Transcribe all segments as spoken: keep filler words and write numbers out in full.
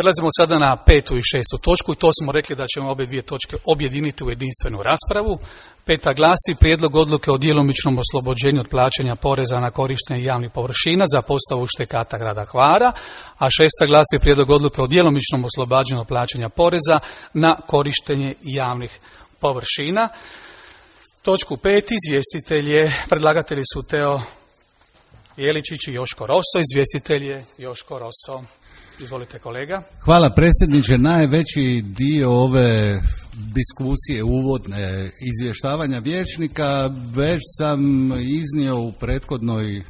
Prelazimo sada na petu i šestu točku i to smo rekli da ćemo obje dvije točke objediniti u jedinstvenu raspravu. Peta glasi prijedlog odluke o djelomičnom oslobođenju od plaćanja poreza na korištenje javnih površina za postavu štekata grada Hvara, a šesta glasi prijedlog odluke o djelomičnom oslobađanju od plaćanja poreza na korištenje javnih površina. Točku pet izvjestitelj je, predlagatelji su Teo Jeličić i Joško Roso, izvjestitelj je Joško Roso. Izvolite kolega. Hvala predsjedniče. Najveći dio ove diskusije, uvodne izvještavanja vijećnika već sam iznio u prethodnoj,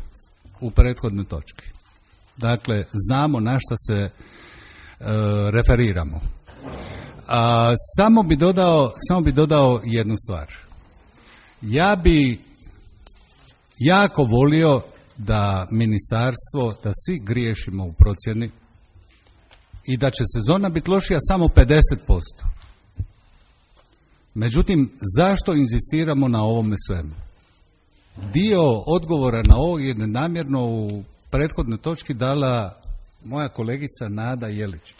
u prethodnoj točki. Dakle, znamo na što se e, referiramo. A, samo bi dodao, samo bi dodao jednu stvar. Ja bi jako volio da ministarstvo, da svi griješimo u procjeni i da će sezona biti lošija samo pedeset posto. Međutim, zašto inzistiramo na ovome svemu? Dio odgovora na ovo je namjerno u prethodnoj točki dala moja kolegica Nada Jeličić.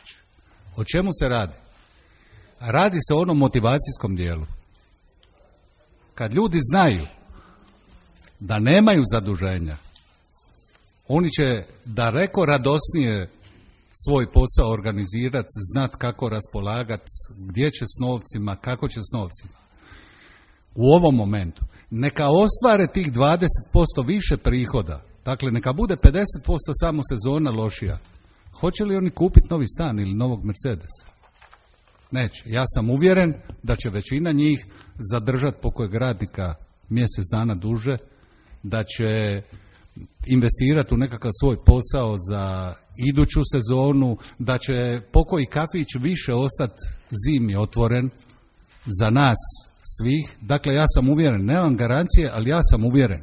O čemu se radi? Radi se o onom motivacijskom dijelu. Kad ljudi znaju da nemaju zaduženja, oni će daleko radosnije svoj posao organizirati, znat kako raspolagati, gdje će s novcima, kako će s novcima. U ovom momentu neka ostvare tih dvadeset posto više prihoda, dakle neka bude pedeset posto samo sezona lošija. Hoće li oni kupiti novi stan ili novog Mercedesa? Neće. Ja sam uvjeren da će većina njih zadržati pokojeg radnika mjesec dana duže, da će investirati u nekakav svoj posao za iduću sezonu, da će pokoji kafić više ostati zimi otvoren za nas svih. Dakle, ja sam uvjeren, nemam garancije, ali ja sam uvjeren.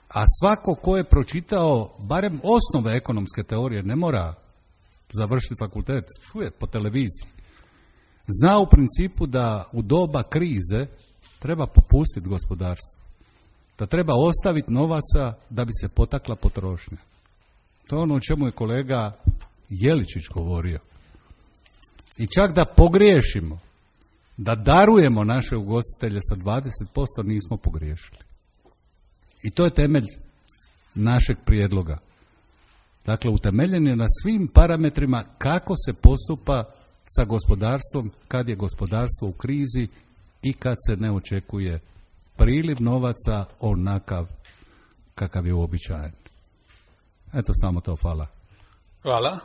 A svako ko je pročitao barem osnove ekonomske teorije, ne mora završiti fakultet, čuje po televiziji, zna u principu da u doba krize treba popustiti gospodarstvo, da treba ostaviti novaca da bi se potakla potrošnja. To je ono o čemu je kolega Jeličić govorio. I čak da pogriješimo, da darujemo naše ugostitelje sa dvadeset posto, nismo pogriješili. I to je temelj našeg prijedloga. Dakle, utemeljen je na svim parametrima kako se postupa sa gospodarstvom kad je gospodarstvo u krizi i kad se ne očekuje priliv novaca onakav kakav je uobičajen. Eto, samo to, hvala. Hvala.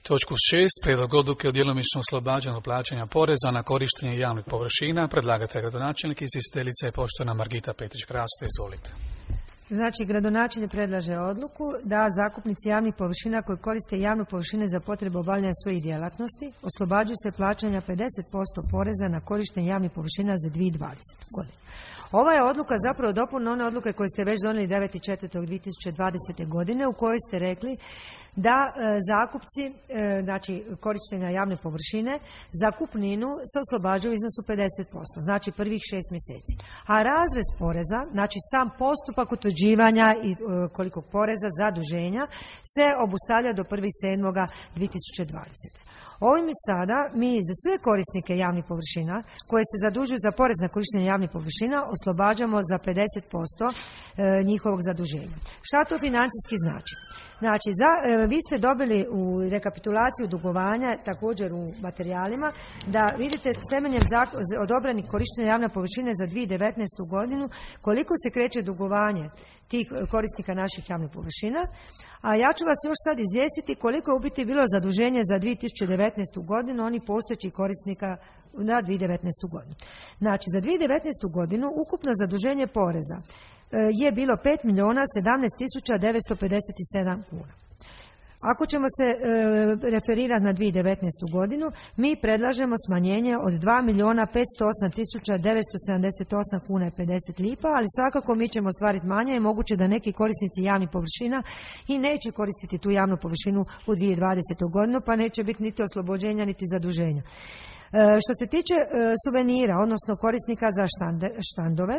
Točku šest, prijedlog odluke o djelomičnom oslobađanju plaćanja poreza na korištenje javnih površina. Predlagatelj gradonačelnik i izvjestiteljica je poštovana Margita Petrić-Kraste. Izvolite. Znači, gradonačelnik predlaže odluku da zakupnici javnih površina koji koriste javne površine za potrebe obavljanja svojih djelatnosti oslobađaju se plaćanja pedeset posto poreza na korištenje javnih površina za dvije tisuće dvadesete. godine. Ova je odluka zapravo dopuna one odluke koje ste već donijeli devetog četvrtog dvije tisuće dvadesete. godine u kojoj ste rekli da e, zakupci, e, znači korištenja javne površine, zakupninu se oslobađaju u iznosu pedeset posto, znači prvih šest mjeseci. A razrez poreza, znači sam postupak utvrđivanja i e, koliko poreza zaduženja se obustavlja do prvog sedmog dvije tisuće dvadesete. Ovim sada mi za sve korisnike javnih površina koje se zadužuju za porez na korištenje javnih površina oslobađamo za pedeset posto njihovog zaduženja. Šta to financijski znači? Znači, za, vi ste dobili u rekapitulaciju dugovanja, također u materijalima, da vidite temeljem odobranih korištenja javne površine za dvije tisuće devetnaestu. godinu koliko se kreće dugovanje tih korisnika naših javnih površina. A ja ću vas još sad izvijestiti koliko je u biti bilo zaduženje za dvije tisuće devetnaestu. godinu onih postojećih korisnika na dvije tisuće devetnaestu. godinu. Znači, za dvije tisuće devetnaestu. godinu ukupno zaduženje poreza je bilo pet milijuna sedamnaest tisuća devetsto pedeset sedam kuna. Ako ćemo se e, referirati na dvije tisuće devetnaestu. godinu, mi predlažemo smanjenje od dva milijuna petsto osam tisuća devetsto sedamdeset osam kuna i pedeset lipa, ali svakako mi ćemo ostvariti manje i moguće da neki korisnici javnih površina i neće koristiti tu javnu površinu u dvije tisuće dvadesetoj. godinu, pa neće biti niti oslobođenja niti zaduženja. Što se tiče suvenira, odnosno korisnika za štande, štandove,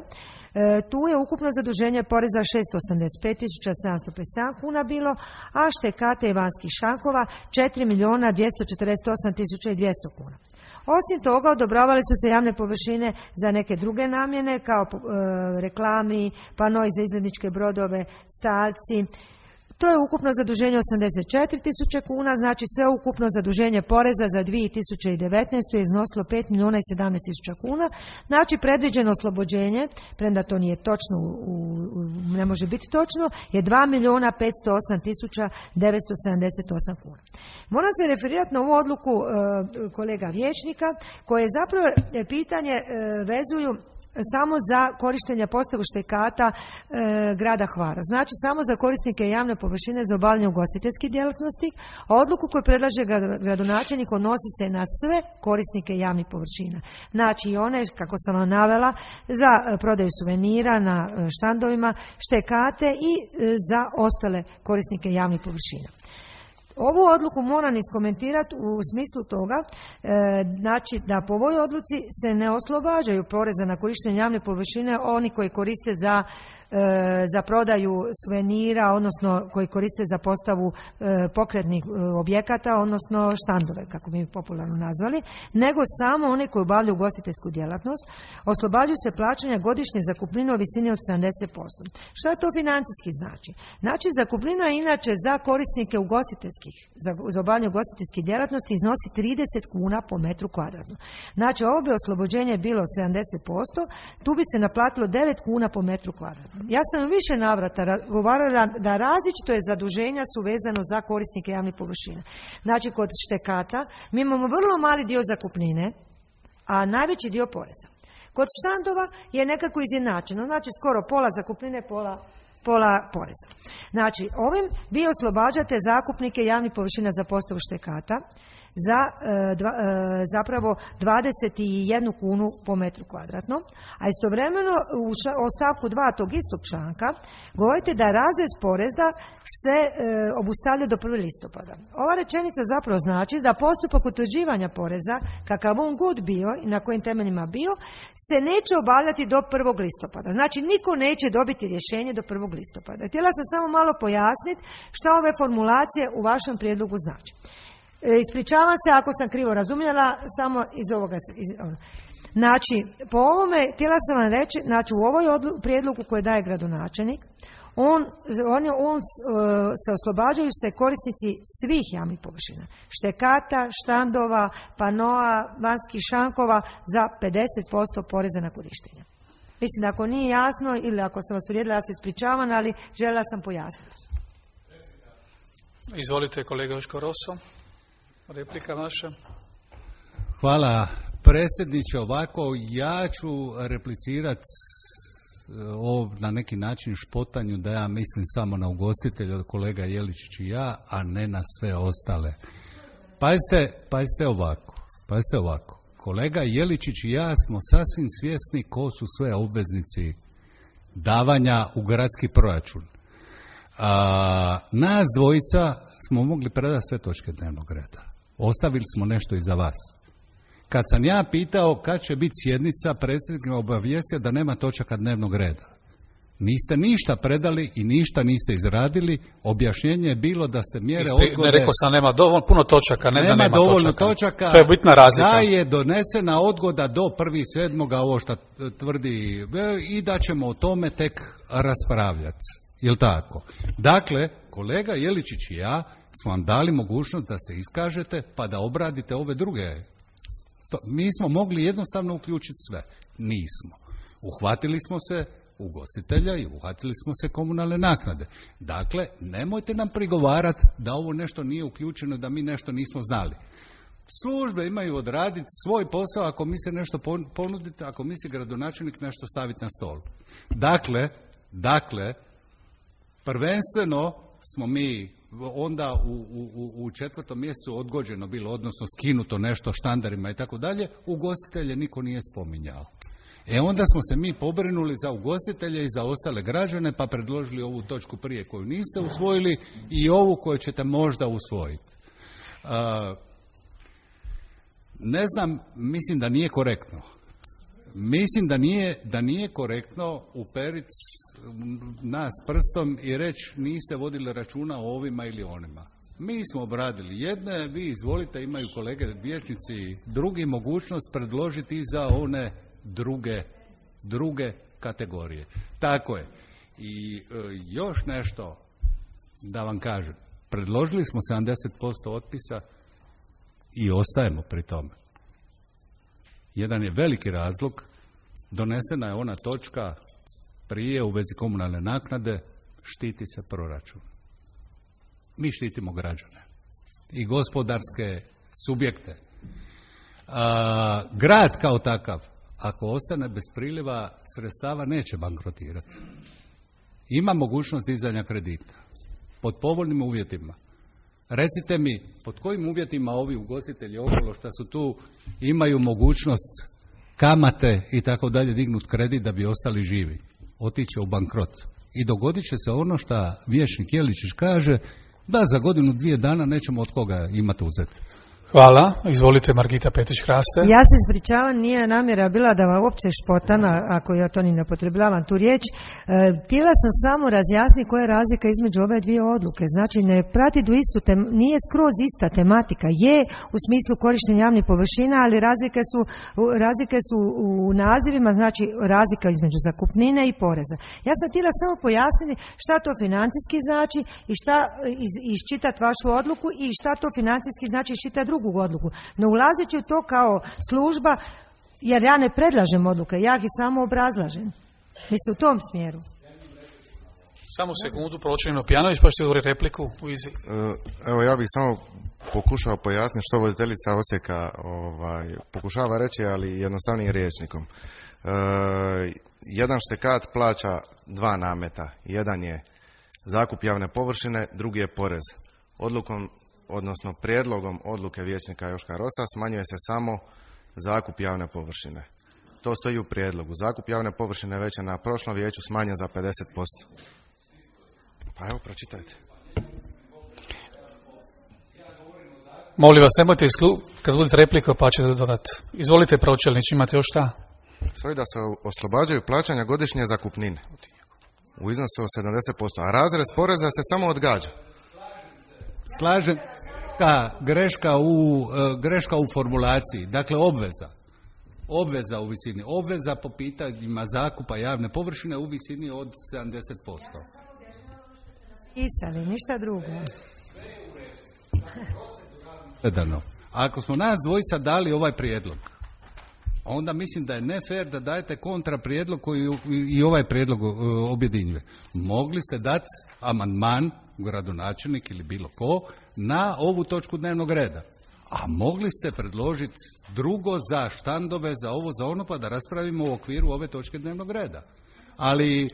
tu je ukupno zaduženje poreza šesto osamdeset pet tisuća sedamsto pedeset sedam kuna bilo, a štekate i vanjskih šankova četiri milijuna dvjesto četrdeset osam tisuća dvjesto kuna. Osim toga, odobravali su se javne površine za neke druge namjene, kao e, reklami, panoi za izvedničke brodove, stalci. To je ukupno zaduženje osamdeset četiri tisuće kuna, znači sve ukupno zaduženje poreza za dvije tisuće devetnaestu. je iznosilo pet milijuna i sedamnaest tisuća kuna. Znači predviđeno oslobođenje, premda to nije točno, u, u, ne može biti točno, je dva milijuna petsto osam tisuća devetsto sedamdeset osam kuna. Moram se referirati na ovu odluku e, kolega vijećnika, koje je zapravo pitanje e, vezuju samo za korištenje postavu štekata e, grada Hvara. Znači samo za korisnike javne površine za obavljanje ugostiteljskih djelatnosti, a odluku koju predlaže gradonačelnik odnosi se na sve korisnike javnih površina. Znači i one, kako sam vam navela, za prodaju suvenira na štandovima, štekate i e, za ostale korisnike javnih površina. Ovu odluku moram iskomentirati u smislu toga, e, znači da po ovoj odluci se ne oslobađaju poreza na korištenje javne površine oni koji koriste za za prodaju suvenira, odnosno koji koriste za postavu pokretnih objekata, odnosno štandove, kako bi popularno nazvali, nego samo oni koji obavljaju ugostiteljsku djelatnost. Oslobađaju se plaćanja godišnje zakupnine u visini od sedamdeset posto. Što to financijski znači? Znači, zakupnina inače za korisnike ugostiteljskih, za, za obavljanje ugostiteljskih djelatnosti iznosi trideset kuna po metru kvadratnom. Znači, ovo bi oslobođenje bilo sedamdeset posto, tu bi se naplatilo devet kuna po metru kvadratnom. Ja sam više navrata govorila da različito je zaduženja su vezano za korisnike javnih površina. Znači, kod štekata mi imamo vrlo mali dio zakupnine, a najveći dio poreza. Kod štandova je nekako izjednačeno, znači skoro pola zakupnine, pola, pola poreza. Znači, ovim vi oslobađate zakupnike javnih površina za postavu štekata za e, dva, e, zapravo dvadeset jednu kunu po metru kvadratnom, a istovremeno u, ša, u stavku dva tog istog članka govorite da razrez poreza se e, obustavlja do prvog listopada. Ova rečenica zapravo znači da postupak utvrđivanja poreza, kakav on god bio i na kojim temeljima bio, se neće obavljati do prvog listopada. Znači, niko neće dobiti rješenje do prvog listopada. Htjela sam samo malo pojasniti šta ove formulacije u vašem prijedlogu znači. Ispričavam se ako sam krivo razumjela, samo iz ovoga. Iz, ono. Znači, po ovome, htjela sam vam reći, znači u ovoj odlu, prijedlogu koje daje gradonačelnik, on, on, on se oslobađaju se korisnici svih javnih površina. Štekata, štandova, panoa, vanjskih šankova za pedeset posto poreza na korištenje. Mislim da ako nije jasno ili ako sam vas uvrijedila, ja se ispričavam, ali željela sam pojasniti. Izvolite, kolega Joško Roso. Replika vaša. Hvala predsjedniče. Ovako, ja ću replicirati o na neki način špotanju da ja mislim samo na ugostitelja, kolega Jeličić i ja, a ne na sve ostale. Pazite, pazite ovako, pazite ovako. Kolega Jeličić i ja smo sasvim svjesni ko su sve obveznici davanja u gradski proračun. A, nas dvojica smo mogli predati sve točke dnevnog reda. Ostavili smo nešto i za vas. Kad sam ja pitao kad će biti sjednica, predsjednik me obavijestio da nema točaka dnevnog reda. Niste ništa predali i ništa niste izradili. Objašnjenje je bilo da ste mjere Ispri, odgode... Ne, rekao sam nema dovoljno, puno točaka, ne nema, da nema dovoljno točaka. točaka. To je bitna razlika. Da je donesena odgoda do prvog sedmoga, ovo što tvrdi, i da ćemo o tome tek raspravljati. Jel' tako? Dakle, kolega Jeličić i ja smo vam dali mogućnost da se iskažete pa da obradite ove druge. To, mi smo mogli jednostavno uključiti sve. Nismo. Uhvatili smo se ugostitelja i uhvatili smo se komunalne naknade. Dakle, nemojte nam prigovarati da ovo nešto nije uključeno, da mi nešto nismo znali. Službe imaju odraditi svoj posao ako misle nešto ponuditi, ako misli gradonačelnik nešto staviti na stol. Dakle, dakle, prvenstveno smo mi onda u, u, u četvrtom mjesecu odgođeno bilo, odnosno skinuto nešto štandarima i tako dalje, ugostitelje niko nije spominjao. E onda smo se mi pobrinuli za ugostitelje i za ostale građane, pa predložili ovu točku prije koju niste usvojili i ovu koju ćete možda usvojiti. Uh, Ne znam, mislim da nije korektno. Mislim da nije, da nije korektno uperiti nas prstom i reći niste vodili računa o ovima ili onima. Mi smo obradili jedne, vi izvolite, imaju kolege vijećnici drugi mogućnost predložiti i za one druge, druge kategorije. Tako je. I e, još nešto da vam kažem. Predložili smo sedamdeset posto otpisa i ostajemo pri tome. Jedan je veliki razlog, donesena je ona točka prije u vezi komunalne naknade, štiti se proračun. Mi štitimo građane i gospodarske subjekte. A, grad kao takav, ako ostane bez priliva sredstava, neće bankrotirati. Ima mogućnost dizanja kredita pod povoljnim uvjetima. Recite mi, pod kojim uvjetima ovi ugostitelji okolo što su tu imaju mogućnost kamate i tako dalje dignuti kredit da bi ostali živi? Otiće u bankrot. I dogodit će se ono što vijećnik Jeličić kaže, da za godinu, dvije dana nećemo od koga imati uzeti. Hvala. Izvolite, Margita Petić-Hraste. Ja se ispričavam, nije namjera bila da vam uopće špotana, ako ja to ni ne potrebljavam tu riječ. E, htjela sam samo razjasniti koja je razlika između ove dvije odluke. Znači, ne prati do istu tem, nije skroz ista tematika. Je u smislu korištenja javnih površina, ali razlike su, razlike su u nazivima, znači razlika između zakupnine i poreza. Ja sam htjela samo pojasniti šta to financijski znači i šta iz, iščitati vašu odluku i šta to financijski znači iščitati drugu odluku. Ne ulazeći u to kao služba, jer ja ne predlažem odluke, ja ih samo obrazlažem. Mislim u tom smjeru. Samo sekundu, Pročelino Pjanović, pa ćete govoriti repliku u izi. Evo, ja bih samo pokušao pojasniti što voditeljica Osijeka ovaj, pokušava reći, ali jednostavnijim rječnikom. E, jedan štekat plaća dva nameta. Jedan je zakup javne površine, drugi je porez. Odlukom odnosno prijedlogom odluke vijećnika Joška Rosa smanjuje se samo zakup javne površine. To stoji u prijedlogu. Zakup javne površine već je na prošlom vijeću smanjen za pedeset posto. Pa evo, pročitajte. Molim vas, nemojte isklu... kad budete repliku pa ćete dodati. Izvolite, Pročelnić, imate još šta? Stoji da se oslobađaju plaćanja godišnje zakupnine u iznosu od sedamdeset posto, a razrez poreza se samo odgađa. Slažem, ka, greška, u, greška u formulaciji, dakle obveza. Obveza u visini. Obveza po pitanjima zakupa javne površine u visini od sedamdeset posto. Isali, ništa drugo. Ako smo nas dvojica dali ovaj prijedlog, onda mislim da je ne fair da dajete kontra prijedlog koji i ovaj prijedlog objedinjuje. Mogli ste dati amandman, gradonačelnik ili bilo ko, na ovu točku dnevnog reda. A mogli ste predložiti drugo za štandove, za ovo, za ono, pa da raspravimo u okviru ove točke dnevnog reda. Ali, e,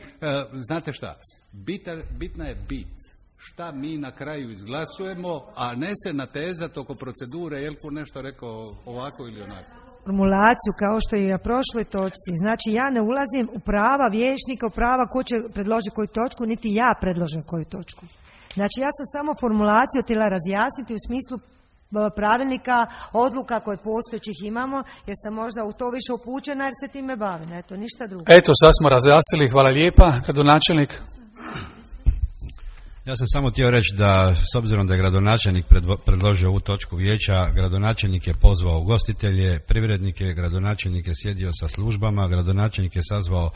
znate šta, Bita, bitna je bit. Šta mi na kraju izglasujemo, a ne se natezati oko procedure, Jelko nešto rekao ovako ili onako. Formulaciju kao što je i na prošloj točci. Znači ja ne ulazim u prava vijećnika, u prava ko će predložiti koju točku, niti ja predložim koju točku. Znači ja sam samo formulaciju htjela razjasniti u smislu pravilnika, odluka koje postojećih imamo, jer sam možda u to više upućena jer se time bavim. Eto, ništa drugo. Eto, sad smo razjasnili, hvala lijepa. Gradonačelnik. Ja sam samo htio reći da, s obzirom da je gradonačelnik predložio ovu točku vijeća, gradonačelnik je pozvao ugostitelje, privrednike, gradonačelnik je sjedio sa službama, gradonačelnik je sazvao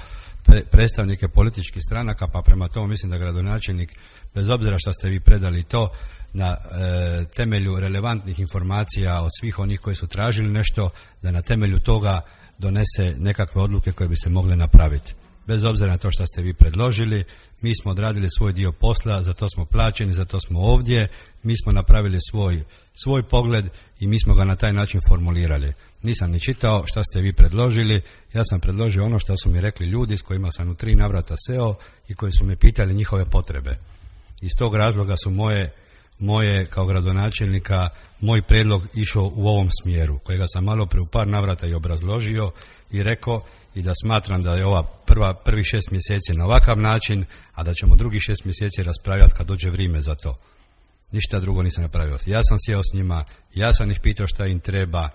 predstavnike političkih stranaka, pa prema tomu mislim da gradonačelnik, bez obzira što ste vi predali to, na e, temelju relevantnih informacija od svih onih koji su tražili nešto, da na temelju toga donese nekakve odluke koje bi se mogle napraviti. Bez obzira na to što ste vi predložili, mi smo odradili svoj dio posla, za to smo plaćeni, za to smo ovdje, mi smo napravili svoj, svoj pogled i mi smo ga na taj način formulirali. Nisam ni čitao što ste vi predložili, ja sam predložio ono što su mi rekli ljudi s kojima sam u tri navrata seo i koji su me pitali njihove potrebe. Iz tog razloga su moje, moje kao gradonačelnika, moj prijedlog išao u ovom smjeru, kojega sam malo pre u par navrata i obrazložio i rekao i da smatram da je ova prva, prvi šest mjeseci na ovakav način, a da ćemo drugi šest mjeseci raspravljati kad dođe vrijeme za to. Ništa drugo nisam napravio. Ja sam sjeo s njima, ja sam ih pitao šta im treba,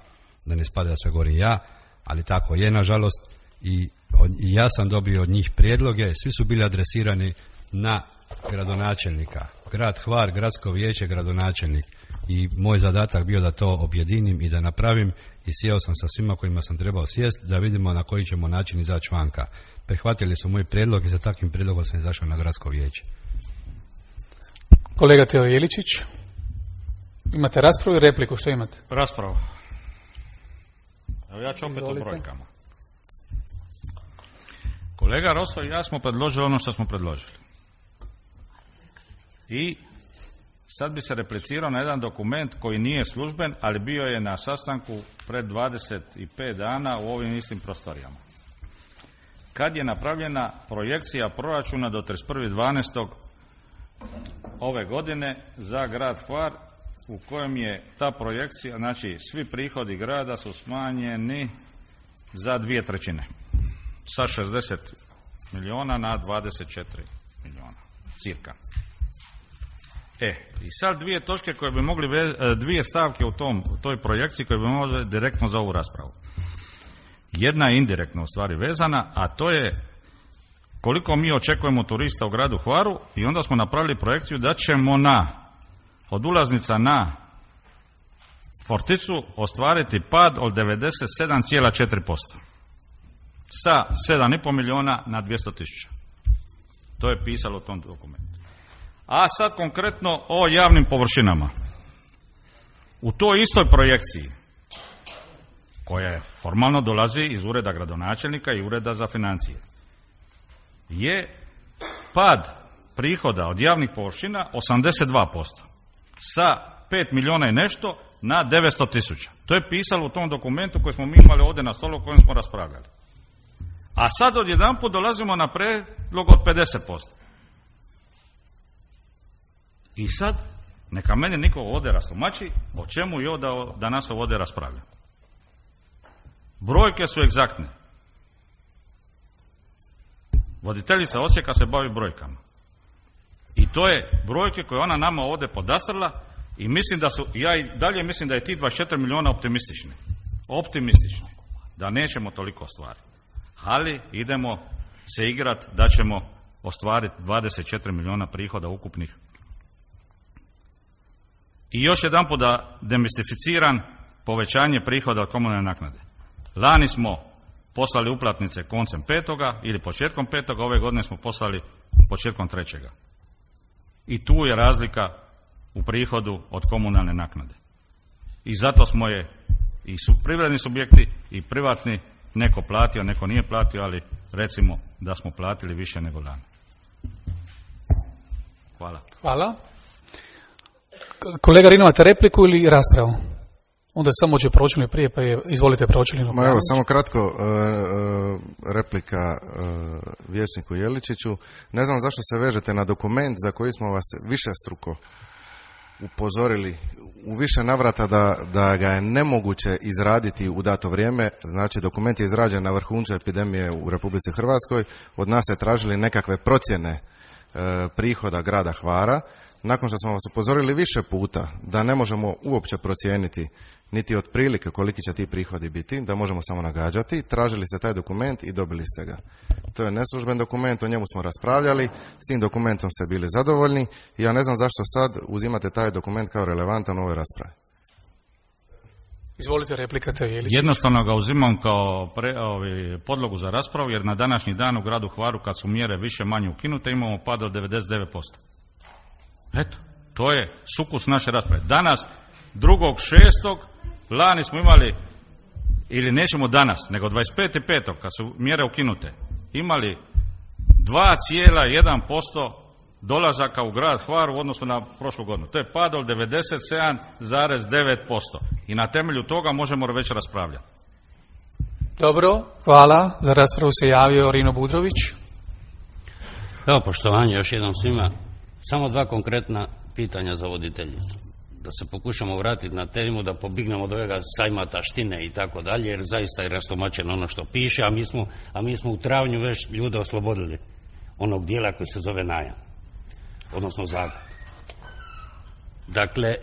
da ne spada sve govorim ja, ali tako je nažalost i, i ja sam dobio od njih prijedloge, svi su bili adresirani na gradonačelnika. Grad Hvar, gradsko vijeće, gradonačelnik. I moj zadatak bio da to objedinim i da napravim i sjeo sam sa svima kojima sam trebao sjest da vidimo na koji ćemo način izaći vanka. Prihvatili su moj prijedlog i za takvim prijedlogom sam izašao na gradsko vijeće. Kolega Teo Jeličić, imate raspravu i repliku, što imate? Raspravu. Evo ja ću opet Izvolite. o brojkama. Kolega Roso i ja smo predložili ono što smo predložili. I sad bi se replicirao na jedan dokument koji nije služben, ali bio je na sastanku pred dvadeset pet dana u ovim istim prostorijama. Kad je napravljena projekcija proračuna do trideset prvog dvanaestog ove godine za grad Hvar, u kojem je ta projekcija, znači svi prihodi grada su smanjeni za dvije trećine. Sa šezdeset milijuna na dvadeset četiri milijuna, cirka. E, i sad dvije točke koje bi mogli, dvije stavke u tom, u toj projekciji koje bi mogli direktno za ovu raspravu. Jedna je indirektno u stvari vezana, a to je koliko mi očekujemo turista u gradu Hvaru i onda smo napravili projekciju da ćemo na, od ulaznica na Forticu ostvariti pad od devedeset sedam zarez četiri posto. Sa sedam i pol milijuna na dvjesto tisuća. To je pisalo u tom dokumentu. A sad konkretno o javnim površinama. U toj istoj projekciji, koja je formalno dolazi iz ureda gradonačelnika i ureda za financije, je pad prihoda od javnih površina osamdeset dva posto. Sa pet milijuna i nešto na devetsto tisuća. To je pisalo u tom dokumentu koji smo mi imali ovdje na stolu o kojem smo raspravljali. A sad odjedanput dolazimo na prijedlog od pedeset posto. I sad, neka meni niko ovdje rastumači o čemu je da danas ovdje raspravlja. Brojke su egzaktne. Voditeljica Osijeka se bavi brojkama. I to je brojke koje ona nama ovdje podastrla i mislim da su, ja i dalje mislim da je ti dvadeset četiri milijuna optimistični. Optimistični. Da nećemo toliko ostvariti. Ali idemo se igrati da ćemo ostvariti dvadeset četiri milijuna prihoda ukupnih. I još jedanput da demistificiram povećanje prihoda od komunalne naknade. Lani smo poslali uplatnice koncem petoga ili početkom petoga, ove godine smo poslali početkom trećega. I tu je razlika u prihodu od komunalne naknade. I zato smo je i su privredni subjekti i privatni, neko platio, neko nije platio, ali recimo da smo platili više nego lani. Hvala. Hvala. Kolega Rino, imate repliku ili raspravu? Onda samo će pročelni prije, pa je, izvolite pročelinu. Ma evo, samo kratko, uh, uh, replika uh, vijećniku Jeličiću. Ne znam zašto se vežete na dokument za koji smo vas višestruko upozorili u više navrata da, da ga je nemoguće izraditi u dato vrijeme. Znači, dokument je izrađen na vrhuncu epidemije u Republici Hrvatskoj. Od nas se tražili nekakve procjene uh, prihoda grada Hvara. Nakon što smo vas upozorili više puta da ne možemo uopće procijeniti niti otprilike koliki će ti prihodi biti, da možemo samo nagađati, tražili ste taj dokument i dobili ste ga. To je neslužben dokument, o njemu smo raspravljali, s tim dokumentom ste bili zadovoljni i ja ne znam zašto sad uzimate taj dokument kao relevantan u ovoj raspravi. Izvolite, replika Teo Jeličić. Jednostavno ga uzimam kao pre, ovi, podlogu za raspravu, jer na današnji dan u gradu Hvaru, kad su mjere više manje ukinute, imamo pad od devedeset devet posto. Eto, to je sukus naše rasprave. Danas, drugog šestog lani smo imali, ili nećemo danas, nego dvadeset petog petog kad su mjere ukinute, imali dva zarez jedan posto dolazaka u grad Hvar u odnosu na prošlu godinu. To je pad od devedeset sedam zarez devet posto. I na temelju toga možemo već raspravljati. Dobro, hvala. Za raspravu se javio Rino Budrović. Evo, poštovanje još jednom svima. Samo dva konkretna pitanja za voditeljicu. Da se pokušamo vratiti na temu, da pobignemo od ovega sajma taštine i tako dalje, jer zaista je rastomačeno ono što piše, a mi smo, a mi smo u travnju već ljude oslobodili onog dijela koji se zove najam, odnosno zakup. Dakle,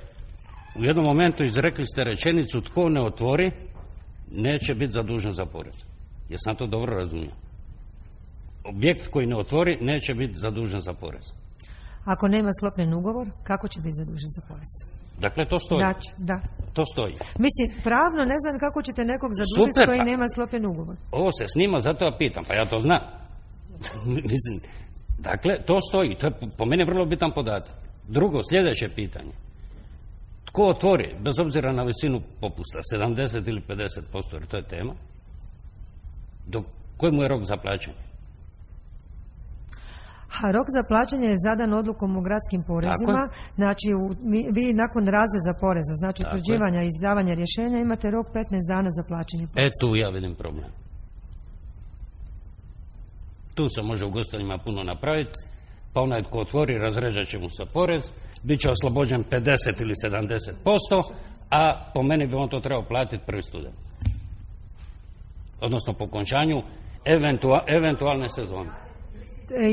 u jednom momentu izrekli ste rečenicu tko ne otvori, neće biti zadužen za porez. Jesam to dobro razumio? Objekt koji ne otvori neće biti zadužen za porez. Ako nema sklopljen ugovor, kako će biti zadužen za porez? Dakle, to stoji. Znači, da. To stoji. Mislim, pravno ne znam kako ćete nekog zadužiti Super, koji pa, nema sklopljen ugovor. Ovo se snima, zato ja pitam, pa ja to znam. Mislim, dakle, to stoji. To je po meni vrlo bitan podatak. Drugo, sljedeće pitanje. Tko otvori, bez obzira na visinu popusta, sedamdeset ili pedeset posto, jer to je tema, do kojemu je rok za plaćanje? A rok za plaćanje je zadan odlukom o gradskim porezima, znači u, mi, vi nakon razreza poreza, znači Tako utvrđivanja i izdavanja rješenja imate rok petnaest dana za plaćanje poreza. E tu ja vidim problem. Tu se može ugostiteljima puno napraviti, pa onaj tko otvori razrežat će mu se porez, bit će oslobođen pedeset ili sedamdeset posto, a po meni bi on to trebao platiti prvi student. Odnosno po končanju eventua, eventualne sezone.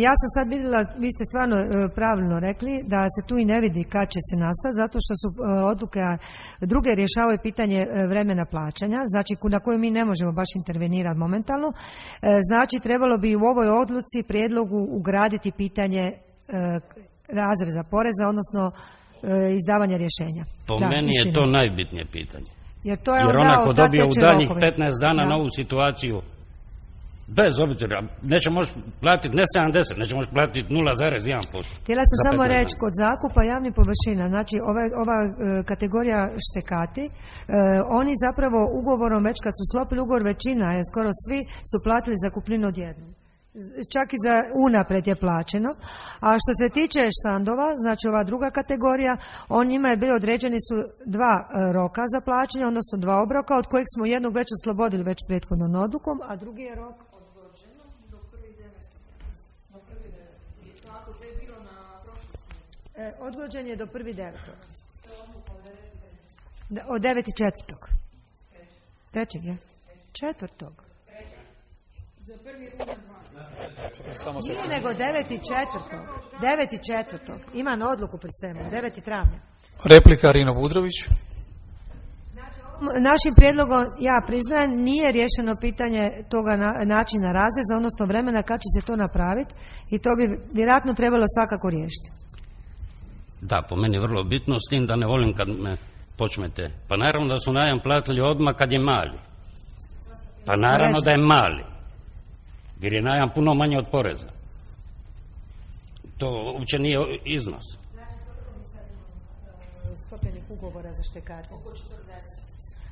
Ja sam sad vidjela, vi ste stvarno e, pravilno rekli da se tu i ne vidi kad će se nastati, zato što su e, odluke druge rješavaju pitanje e, vremena plaćanja, znači na koju mi ne možemo baš intervenirati momentalno. E, znači trebalo bi u ovoj odluci prijedlogu ugraditi pitanje e, razreza poreza, odnosno e, izdavanja rješenja. Po da, meni istina. je to najbitnije pitanje. Jer, to je Jer onda onako dobije u daljnjih rokove. petnaest dana Da. novu situaciju, bez obzira, neće moći platiti ne sedamdeset, neće moći platiti nula zarez jedan posto. Htjela sam samo reći, kod zakupa javnih površina, znači ova, ova e, kategorija štekati, e, oni zapravo ugovorom, već kad su sklopili ugovor, većina, je skoro svi, su platili zakupninu odjednom. Čak i za unaprijed je plaćeno. A što se tiče štandova, znači ova druga kategorija, on njima je bilo određeni su dva e, roka za plaćanje, odnosno dva obroka, od kojih smo jednog već oslobodili već prethodnom odlukom, a drugi je rok odgođen je do prvi devetog. Od devet četvrtog. Trećeg je? Četvrtog. Za prvi rujan dva. Nije nego devet četvrtog. devet četvrtog. Ima na odluku pred sebom. devet travnja. Replika Rino Budrović. Našim prijedlogom, ja priznajem, nije rješeno pitanje toga na, načina razreza, odnosno vremena kad će se to napraviti i to bi vjerojatno trebalo svakako riješiti. Da, po meni vrlo bitno, s tim da ne volim kad me počmete. Pa naravno da su najam platili odmah kad je mali. Pa naravno da je mali. Jer je najam puno manje od poreza. To uopće nije iznos. Sklopljenih ugovora za štekate.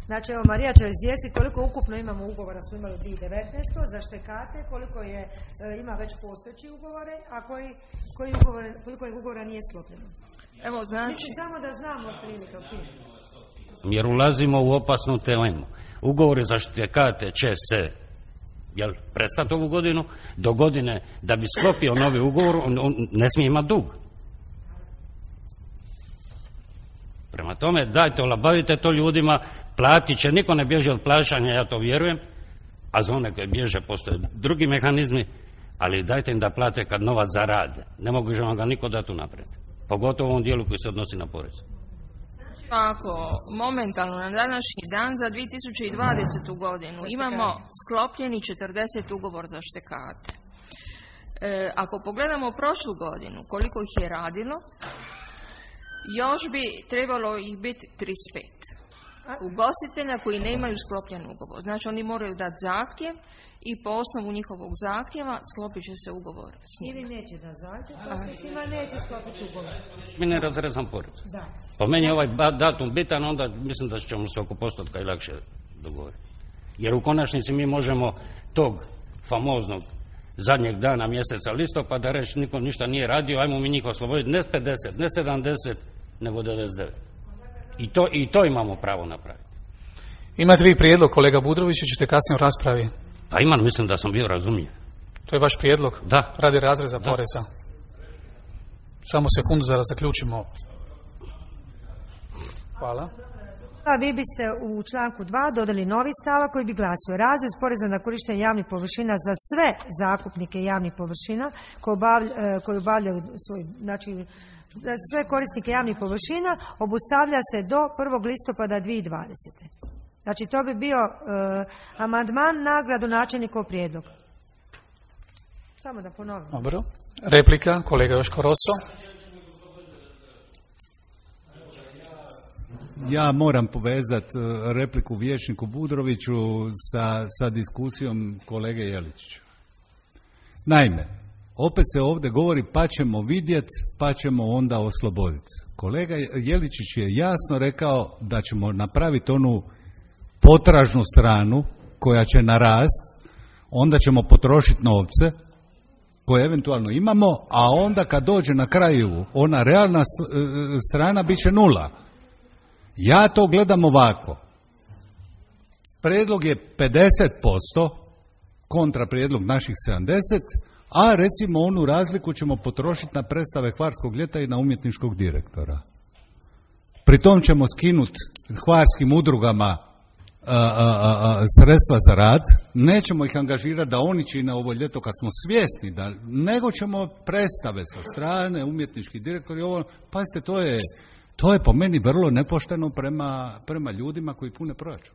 Znači, evo, Marija će izvijestiti koliko ukupno imamo ugovora, smo imali u dvije tisuće devetnaeste. za štekate, koliko je, e, ima već postojeći ugovore, a koji, koji ugovore, koliko je ugovora nije sklopljeno. Evo, znači... Mislim samo da znamo otprilike. Jer ulazimo u opasnu temu. Ugovori za štekate će se jel, prestati ovu godinu, do godine da bi sklopio novi ugovor, on, on ne smije imati dug. Prema tome, dajte, olabavite to ljudima, platit će, niko ne bježi od plaćanja, ja to vjerujem, a za one koje bježe postoje drugi mehanizmi, ali dajte im da plate kad novac zarade. Ne mogu vam ga niko dati unaprijed. Pogotovo u ovom dijelu koji se odnosi na porez. Ako momentalno na današnji dan za dvije tisuće dvadesetu godinu imamo sklopljeni četrdeset ugovor za štekate. E, ako pogledamo prošlu godinu, koliko ih je radilo, još bi trebalo ih biti trideset pet ugostitelja koji nemaju sklopljen ugovor. Znači oni moraju dati zahtjev i po osnovu njihovog zahtjeva sklopit će se ugovor s njima. Ili neće da zahtjev, pa se s njima neće sklopiti ugovor. Mi ne razrezam porez. Da. Po meni je ovaj datum bitan, onda mislim da ćemo se oko postotka i lakše dogovoriti. Jer u konačnici mi možemo tog famoznog zadnjeg dana mjeseca listopada reći niko ništa nije radio, ajmo mi njih osloboditi ne pedeset, ne sedamdeset, nego devedeset devet. I to, i to imamo pravo napraviti. Imate vi prijedlog, kolega Budrović, i ćete kasnije u raspravi? Pa imam, mislim da sam bio razumljiv. To je vaš prijedlog? Da. Radi razreza Da. poreza. Samo sekundu da zaključimo. Hvala. A vi biste u članku dva dodali novi stavak koji bi glasio: razrez poreza na korištenje javnih površina za sve zakupnike javnih površina koji obavljaju, koji obavljaju svoj, znači za sve korisnike javnih površina obustavlja se do prvog listopada dvije tisuće dvadesete. Znači to bi bio uh, amandman na gradonačelnikov prijedlog. Samo da ponovim. Dobro. Replika, kolega Joško Roso. Ja moram povezati repliku vijećniku Budroviću sa, sa diskusijom kolege Jeličića. Naime, opet se ovdje govori pa ćemo vidjeti, pa ćemo onda osloboditi. Kolega Jeličić je jasno rekao da ćemo napraviti onu potražnu stranu koja će narast, onda ćemo potrošiti novce koje eventualno imamo, a onda kad dođe na kraju ona realna strana bit će nula. Ja to gledam ovako. Prijedlog je pedeset posto, kontra prijedlog naših sedamdeset, a recimo onu razliku ćemo potrošiti na predstave Hvarskog ljeta i na umjetničkog direktora. Pri tom ćemo skinuti hvarskim udrugama a, a, a, sredstva za rad, nećemo ih angažirati da oni čine ovo ljeto kad smo svjesni, da, nego ćemo predstave sa strane, umjetnički direktori, ovo, pazite, to je, to je po meni vrlo nepošteno prema, prema ljudima koji pune proračun.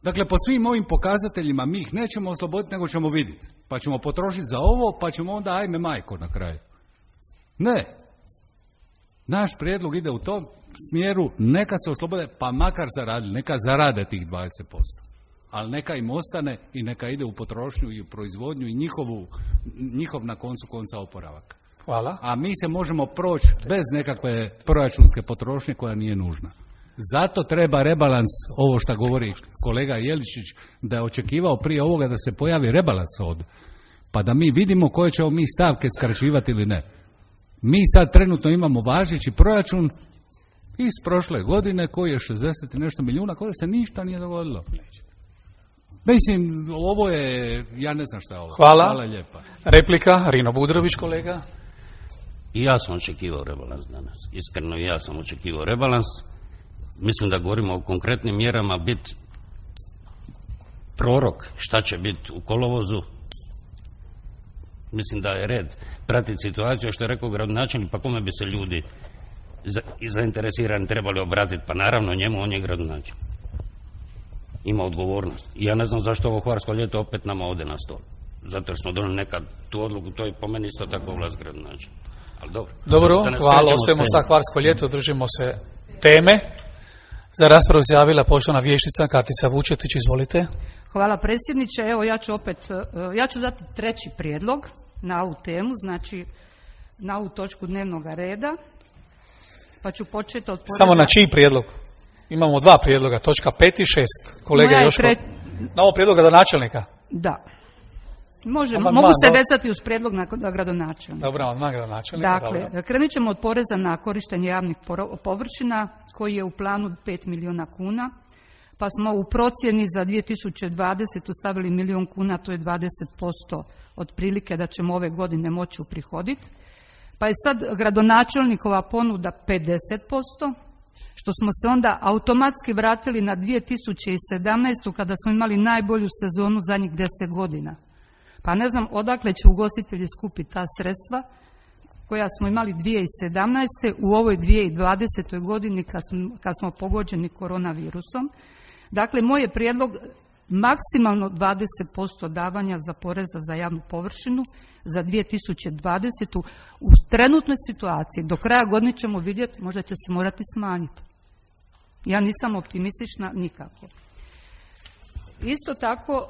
Dakle, po svim ovim pokazateljima mi ih nećemo osloboditi, nego ćemo vidjeti. Pa ćemo potrošiti za ovo, pa ćemo onda ajme majko na kraju. Ne. Naš prijedlog ide u tom smjeru, neka se oslobode, pa makar zaradili, neka zarade tih dvadeset posto. Ali neka im ostane i neka ide u potrošnju i u proizvodnju i njihovu, njihov na koncu konca oporavak. Hvala. A mi se možemo proći bez nekakve proračunske potrošnje koja nije nužna. Zato treba rebalans, ovo što govori kolega Jeličić, da je očekivao prije ovoga da se pojavi rebalans ovdje, pa da mi vidimo koje ćemo mi stavke skraćivati ili ne. Mi sad trenutno imamo važeći proračun iz prošle godine koji je šezdeset i nešto milijuna, koje se ništa nije dogodilo. Mislim, ovo je, ja ne znam šta je ovo. Hvala. Hvala lijepa. Replika, Rino Budrović, kolega. I ja sam očekivao rebalans danas. Iskreno i ja sam očekivao rebalans. Mislim da govorimo o konkretnim mjerama, biti prorok šta će biti u kolovozu. Mislim da je red pratiti situaciju, što je rekao gradonačelnik, pa kome bi se ljudi za, zainteresirani trebali obratiti, pa naravno njemu, on je gradonačelnik. Ima odgovornost. I ja ne znam zašto ovo Hvarsko ljeto opet nama ode na stol. Zato jer smo donijeli nekad tu odluku, to je po meni isto tako vlast gradonačelnik. Ali dobro. Dobro, hvala, ostajemo sa Hvarsko ljeto, držimo se teme. Za raspravu se javila poštovana vijećnica Katica Vučetić, izvolite. Hvala predsjedniče, evo ja ću opet, ja ću dati treći prijedlog na ovu temu, znači na ovu točku dnevnog reda, pa ću početi od... Poreza... Samo na čiji prijedlog? Imamo dva prijedloga, točka pet i šest. Kolega Joško, tre... na ovo prijedloga do načelnika? Da. Može, mogu man, se vezati uz prijedlog na gradonačelnika. Dobro, na gradonačelnika. Dakle, dobro. Krenut ćemo od poreza na korištenje javnih površina, koji je u planu pet milijuna kuna, pa smo u procjeni za dvije tisuće dvadesetu stavili milijun kuna, to je dvadeset posto otprilike da ćemo ove godine moći uprihoditi. Pa je sad gradonačelnikova ponuda pedeset posto, što smo se onda automatski vratili na dvije tisuće sedamnaestu kada smo imali najbolju sezonu zadnjih deset godina. Pa ne znam odakle će ugostitelji skupiti ta sredstva koja smo imali dvije tisuće sedamnaeste u ovoj dvije tisuće dvadesetoj godini kad smo, kad smo pogođeni koronavirusom. Dakle, moj je prijedlog maksimalno dvadeset posto davanja za poreza za javnu površinu za dvije tisuće dvadesetu. U trenutnoj situaciji do kraja godine ćemo vidjeti, možda će se morati smanjiti. Ja nisam optimistična nikako. Isto tako,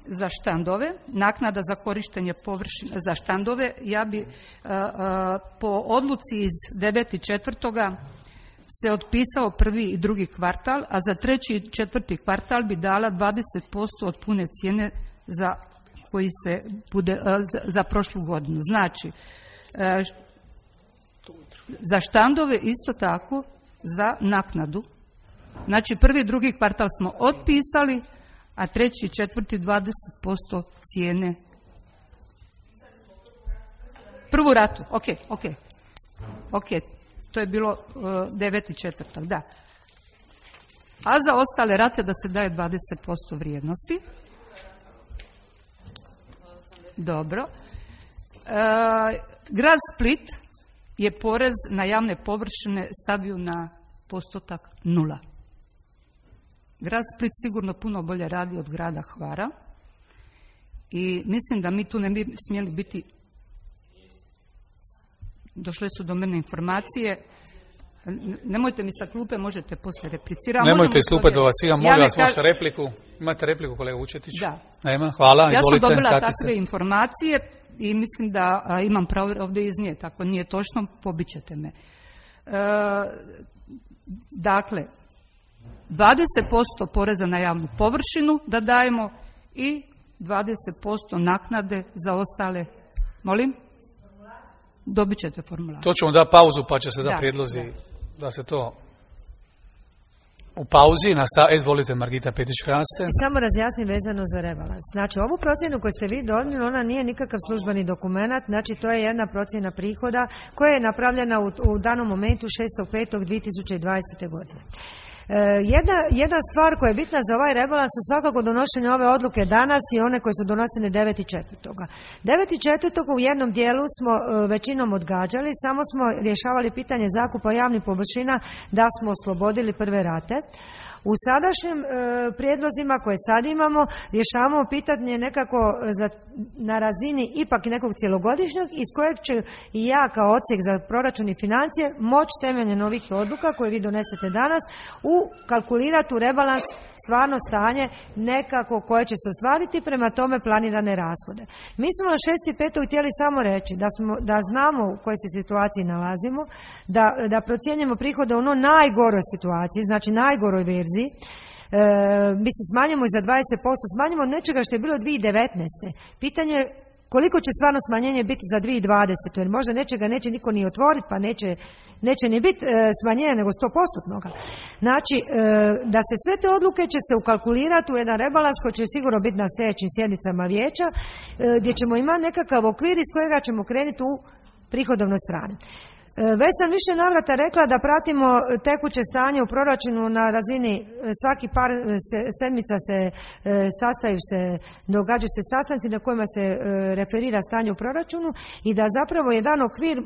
za štandove, naknada za korištenje površina za štandove, ja bi po odluci iz devetog četvrtoga se otpisao prvi i drugi kvartal, a za treći i četvrti kvartal bi dala dvadeset posto od pune cijene za koji se bude za, za prošlu godinu. Znači, za štandove isto tako za naknadu. Znači, prvi i drugi kvartal smo otpisali, a treći i četvrti dvadeset posto cijene. Prvu ratu, ok, ok, ok, to je bilo uh, deveti četvrtak, da. A za ostale rate da se daje dvadeset posto vrijednosti. Dobro. Uh, grad Split je porez na javne površine stavio na postotak nula. grad Split sigurno puno bolje radi od grada Hvara i mislim da mi tu ne bi smjeli biti. Došle su do mene informacije. Nemojte mi sa klupe, možete poslije replicirati. Nemojte iz klupe dovacivati, molim vas, možete repliku. Imate repliku, kolega Vučetić? Da. Nema, hvala, ja izvolite. Ja sam dobila Katica. takve informacije i mislim da a, imam pravo ovdje iznijeti. Ako nije točno, pobićete me. E, dakle, dvadeset posto poreza na javnu površinu da dajemo i dvadeset posto naknade za ostale. Molim? Dobit ćete formular. To ćemo da pauzu pa će se da, da prijedlozi da. da se to u pauzi nastavi. Izvolite, Margita Petić-Hraste. Samo razjasnim vezano za rebalans. Znači, ovu procjenu koju ste vi donijeli, ona nije nikakav službeni dokument, znači to je jedna procjena prihoda koja je napravljena u, u danom momentu šestog petog dvije tisuće dvadesete. godine. Jedna, jedna stvar koja je bitna za ovaj rebalans su svakako donošenje ove odluke danas i one koje su donosene devetog četvrtog devetog četvrtog u jednom dijelu smo većinom odgađali, samo smo rješavali pitanje zakupa javnih površina da smo oslobodili prve rate. U sadašnjim e, prijedlozima koje sad imamo rješavamo pitanje nekako za, na razini ipak nekog cjelogodišnjeg iz kojeg će i ja kao odsjek za proračun i financije moći temeljem novih odluka koje vi donesete danas u kalkulirati u rebalans stvarno stanje nekako koje će se ostvariti, prema tome planirane rashode. Mi smo na šesti petog htjeli samo reći da, smo, da znamo u kojoj se situaciji nalazimo, da, da procjenjujemo prihode u ono najgoroj situaciji, znači najgoroj verziji. E, mi se smanjimo i za dvadeset posto, smanjimo od nečega što je bilo dvije tisuće devetnaeste. Pitanje je koliko će stvarno smanjenje biti za dvije tisuće dvadesete. Jer možda nečega neće niko ni otvoriti, pa neće, neće ni biti e, smanjenje nego sto posto. Znači, e, da se sve te odluke će se ukalkulirati u jedan rebalans koji će sigurno biti na sljedećim sjednicama vijeća, e, gdje ćemo imati nekakav okvir iz kojega ćemo krenuti u prihodovnoj strani. Već sam više navrata rekla da pratimo tekuće stanje u proračunu na razini svaki par sedmica se sastaju se, događaju se sastanci na kojima se referira stanje u proračunu i da zapravo jedan okvir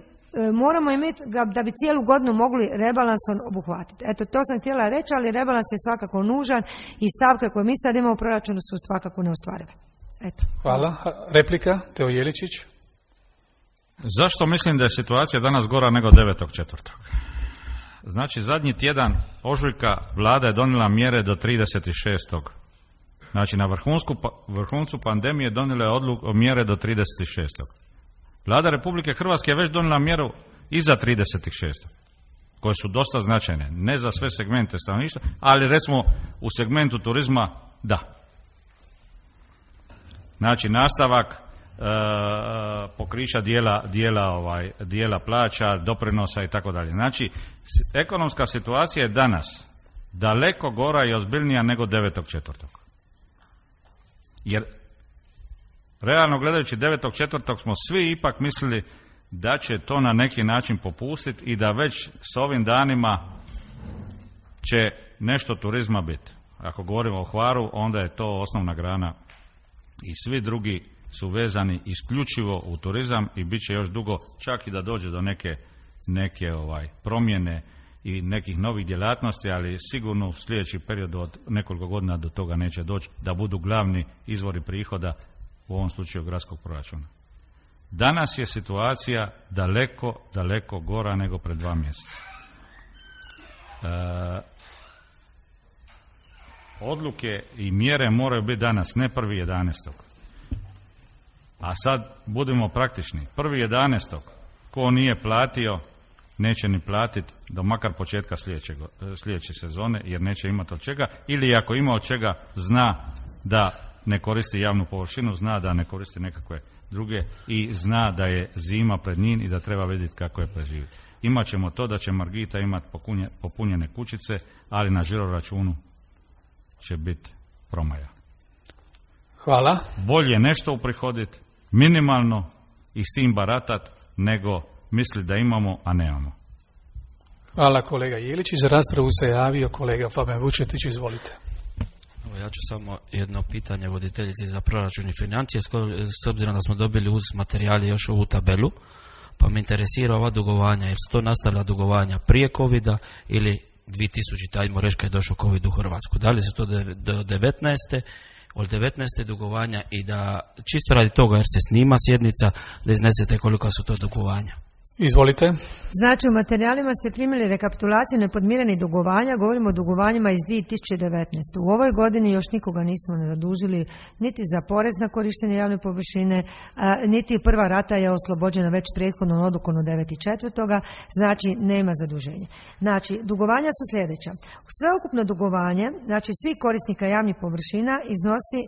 moramo imati da bi cijelu godinu mogli rebalansom obuhvatiti. Eto, to sam htjela reći, ali rebalans je svakako nužan i stavke koje mi sad imamo u proračunu su svakako neostvarive. Eto. Hvala. Replika, Teo Jeličić. Zašto mislim da je situacija danas gora nego devetog četvrtog? Znači, zadnji tjedan ožujka vlada je donijela mjere do trideset šestog Znači, na vrhunsku, vrhuncu pandemije donijela je odluku mjere do trideset šestog Vlada Republike Hrvatske je već donijela mjeru i za trideset šestog koje su dosta značajne. Ne za sve segmente stanovništva, ali recimo u segmentu turizma da. Znači, nastavak E, pokrića dijela, dijela, ovaj, dijela plaća, doprinosa i tako dalje. Znači, ekonomska situacija je danas daleko gora i ozbiljnija nego devetog četvrtog Jer, realno gledajući devetog četvrtog smo svi ipak mislili da će to na neki način popustiti i da već s ovim danima će nešto turizma biti. Ako govorimo o Hvaru, onda je to osnovna grana i svi drugi su vezani isključivo u turizam i bit će još dugo, čak i da dođe do neke, neke ovaj, promjene i nekih novih djelatnosti, ali sigurno u sljedeći period od nekoliko godina do toga neće doći da budu glavni izvori prihoda, u ovom slučaju gradskog proračuna. Danas je situacija daleko, daleko gora nego pred dva mjeseca. E, odluke i mjere moraju biti danas, ne prvi jedanaestog A sad budemo praktični. prvi jedanaestog ko nije platio, neće ni platiti do makar početka sljedeće, sljedeće sezone, jer neće imati od čega, ili ako ima od čega, zna da ne koristi javnu površinu, zna da ne koristi nekakve druge i zna da je zima pred njim i da treba vidjeti kako je preživjeti. Imat ćemo to da će Margita imati popunjene kućice, ali na žiro računu će biti promaja. Hvala. Bolje nešto uprihoditi, minimalno i s tim baratat, nego misli da imamo, a nemamo. Hvala kolega Jelić. Za raspravu se javio kolega Fabijan Vučetić, izvolite. Ja ću samo jedno pitanje voditeljici za proračun i financije, s obzirom da smo dobili uz materijali još ovu tabelu, pa me interesira ova dugovanja, jer su to nastala dugovanja prije covida ili dvije tisućite, ajmo reći kad je došao COVID u Hrvatsku. Da li su to do devetnaeste od devetnaeste dugovanja i da čisto radi toga jer se snima sjednica da iznesete kolika su to dugovanja. Izvolite. Znači, u materijalima ste primili rekapitulaciju nepodmirenih dugovanja, govorimo o dugovanjima iz dvije tisuće devetnaeste. U ovoj godini još nikoga nismo zadužili niti za porez na korištenje javne površine, a, niti prva rata je oslobođena već prethodnom odlukom od devetog četvrtog znači nema zaduženja. Znači, dugovanja su sljedeća. Sveukupno dugovanje, znači svih korisnika javnih površina iznosi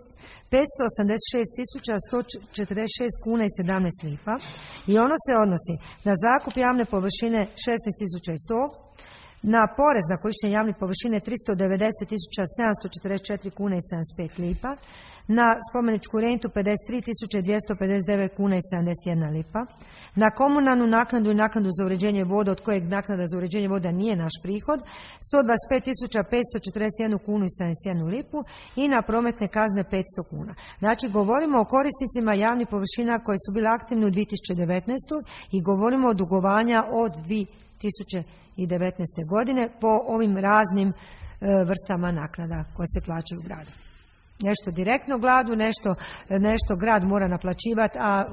petsto osamdeset šest tisuća sto četrdeset šest kuna i sedamnaest lipa i ono se odnosi na zakup javne površine šesnaest tisuća sto, na porez na korištenje javne površine tristo devedeset tisuća sedamsto četrdeset četiri kuna i sedamdeset pet lipa, na spomeničku rentu pedeset tri tisuće dvjesto pedeset devet kuna i sedamdeset jedna lipa, na komunalnu naknadu i naknadu za uređenje voda, od kojeg naknada za uređenje voda nije naš prihod, sto dvadeset pet tisuća petsto četrdeset jednu kunu i sedamdeset jednu lipu i na prometne kazne petsto kuna. Znači, govorimo o korisnicima javnih površina koji su bili aktivni u dvije tisuće devetnaestoj i govorimo o dugovanja od dvije tisuće devetnaeste godine po ovim raznim e, vrstama naknada koje se plaćaju u gradu. Nešto direktno gradu, nešto, nešto grad mora naplaćivati, a e,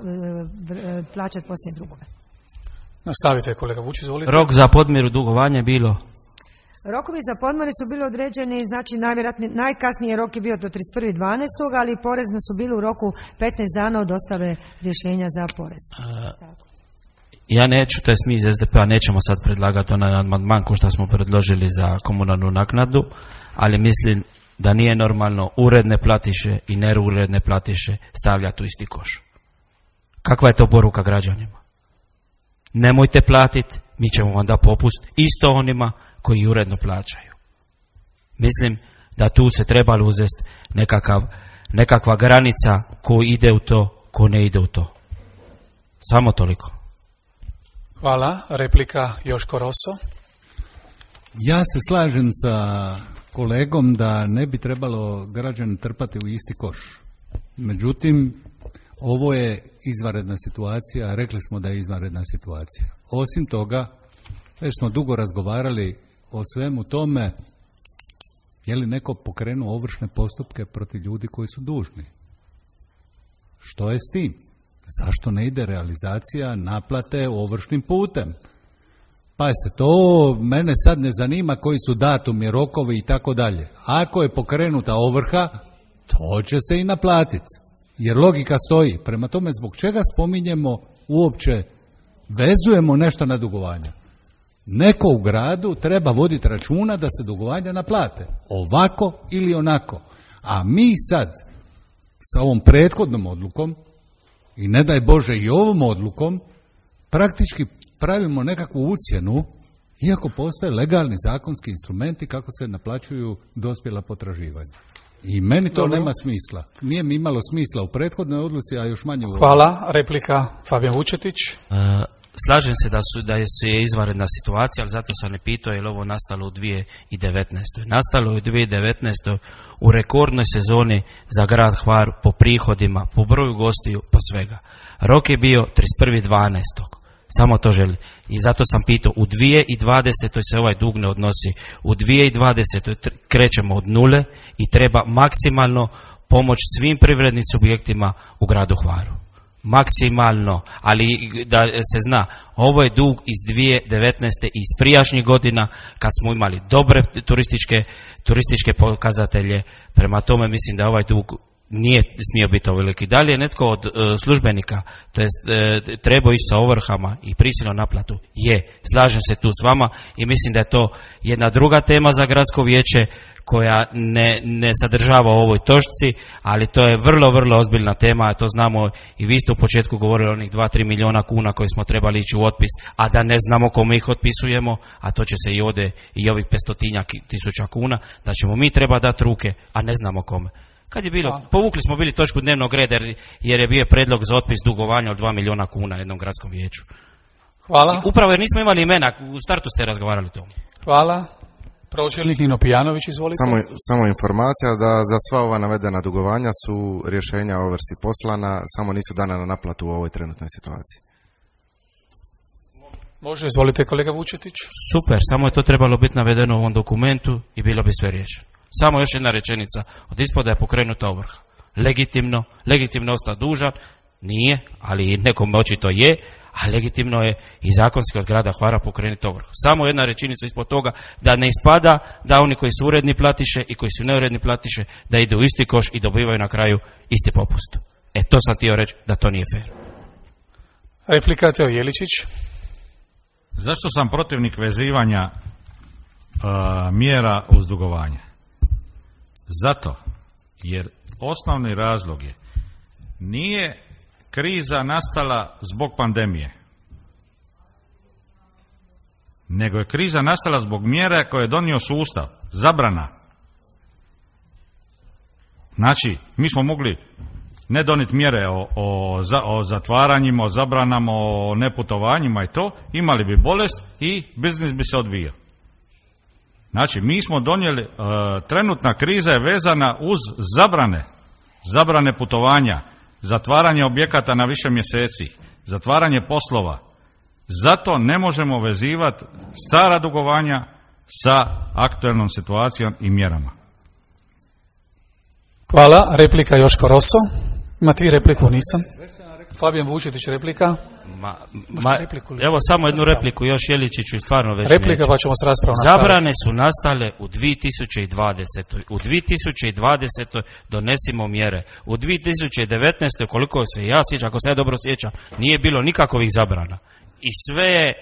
plaćati poslije drugove. Nastavite, kolega Vučić, izvolite. Rok za podmiru dugovanja je bilo? Rokovi za podmire su bili određeni, znači najvjerojatnije, najkasniji rok je bio do trideset prvog dvanaestog ali porezno su bili u roku petnaest dana od dostave rješenja za porez. Uh, ja neću, to jest mi iz S D P-a nećemo sad predlagati onaj amandman ko što smo predložili za komunalnu naknadu, ali mislim da nije normalno uredne platiše i neuredne platiše stavljati u isti koš. Kakva je to poruka građanima? Nemojte platiti, mi ćemo vam da popust isto onima koji uredno plaćaju. Mislim da tu se trebalo uzeti nekakav, nekakva granica ko ide u to, ko ne ide u to. Samo toliko. Hvala. Replika Joško Roso. Ja se slažem sa kolegom da ne bi trebalo građane trpati u isti koš. Međutim, ovo je izvanredna situacija, rekli smo da je izvanredna situacija. Osim toga, već smo dugo razgovarali o svemu tome, je li neko pokrenuo ovršne postupke protiv ljudi koji su dužni. Što je s tim? Zašto ne ide realizacija naplate ovršnim putem? Pa se to, mene sad ne zanima koji su datumi, rokovi i tako dalje. Ako je pokrenuta ovrha, to će se i naplatiti. Jer logika stoji. Prema tome, zbog čega spominjemo uopće, vezujemo nešto na dugovanja? Neko u gradu treba voditi računa da se dugovanja naplate. Ovako ili onako. A mi sad, sa ovom prethodnom odlukom, i ne daj Bože i ovom odlukom, praktički pravimo nekakvu ucjenu, iako postoje legalni zakonski instrumenti kako se naplaćuju dospjela potraživanja. I meni to Dobro. nema smisla. Nije mi imalo smisla u prethodnoj odluci, a još manje u ovoj. Hvala. Replika Fabijan Vučetić. Uh, slažem se da su da je izvanredna situacija, ali zato sam ne pitao je li ovo nastalo u dvije tisuće devetnaestoj. Nastalo je u dvije tisuće devetnaestoj u rekordnoj sezoni za grad Hvar po prihodima, po broju gostiju, po svega. Rok je bio trideset prvog dvanaestog Samo to želi. I zato sam pitao, u dvije tisuće dvadesetoj se ovaj dug ne odnosi. U dvije tisuće dvadesetoj krećemo od nule i treba maksimalno pomoć svim privrednim subjektima u gradu Hvaru. Maksimalno, ali da se zna, ovo je dug iz dvije tisuće devetnaeste i iz prijašnjih godina kad smo imali dobre turističke, turističke pokazatelje. Prema tome mislim da ovaj dug nije smio biti ovoliki. Da li je netko od e, službenika, to jest e, trebao ići sa ovrhama i prisilnom naplatu? Je, slažem se tu s vama i mislim da je to jedna druga tema za gradsko vijeće koja ne, ne sadržava u ovoj točci, ali to je vrlo, vrlo ozbiljna tema, a to znamo i vi ste u početku govorili o onih dva do tri milijuna kuna koji smo trebali ići u otpis, a da ne znamo kome ih otpisujemo, a to će se i ode i ovih petstotinjak tisuća kuna, da ćemo mi treba dati ruke, a ne znamo kome. Kad je bilo, povukli smo bili točku dnevnog reda jer je bio predlog za otpis dugovanja od dva milijuna kuna jednom gradskom vijeću. Hvala. I upravo jer nismo imali imena, u startu ste razgovarali o tom. Hvala. Pročelnik Nino Pijanović, izvolite. Samo, samo informacija da za sva ova navedena dugovanja su rješenja o ovrsi poslana, samo nisu dana na naplatu u ovoj trenutnoj situaciji. Može, izvolite kolega Vučetić. Super, samo je to trebalo biti navedeno u ovom dokumentu i bilo bi sve riješeno. Samo još jedna rečenica. Od ispoda je pokrenuta ovrha. Legitimno, legitimno ostao dužan, nije, ali nekom očito je, a legitimno je i zakonski od grada Hvara pokrenuti ovrhu. Samo jedna rečenica ispod toga, da ne ispada da oni koji su uredni platiše i koji su neuredni platiše, da ide u isti koš i dobivaju na kraju isti popust. E, to sam htio reći da to nije fair. Replika Teo Jeličić. Zašto sam protivnik vezivanja uh, mjera uz dugovanje? Zato jer osnovni razlog je, nije kriza nastala zbog pandemije, nego je kriza nastala zbog mjera koje je donio sustav, zabrana. Znači, mi smo mogli ne doniti mjere o, o, o zatvaranjima, o zabranama, o neputovanjima i to, imali bi bolest i biznis bi se odvijao. Znači, mi smo donijeli, e, trenutna kriza je vezana uz zabrane, zabrane putovanja, zatvaranje objekata na više mjeseci, zatvaranje poslova. Zato ne možemo vezivati stara dugovanja sa aktualnom situacijom i mjerama. Hvala. Replika Joško Roso. Ima ti repliku, nisam. Fabijan Vučetić, replika. Ma, ma, evo samo jednu repliku još, Jeličiću, stvarno već replika neću. Pa ćemo s raspravom nastaviti. Zabrane su nastale u dvije tisuće dvadesetoj. U dvije tisuće dvadesetoj donesimo mjere. U dvije tisuće devetnaestoj, koliko se ja sjećam, ako se ja dobro sjećam, nije bilo nikakvih zabrana. I sve je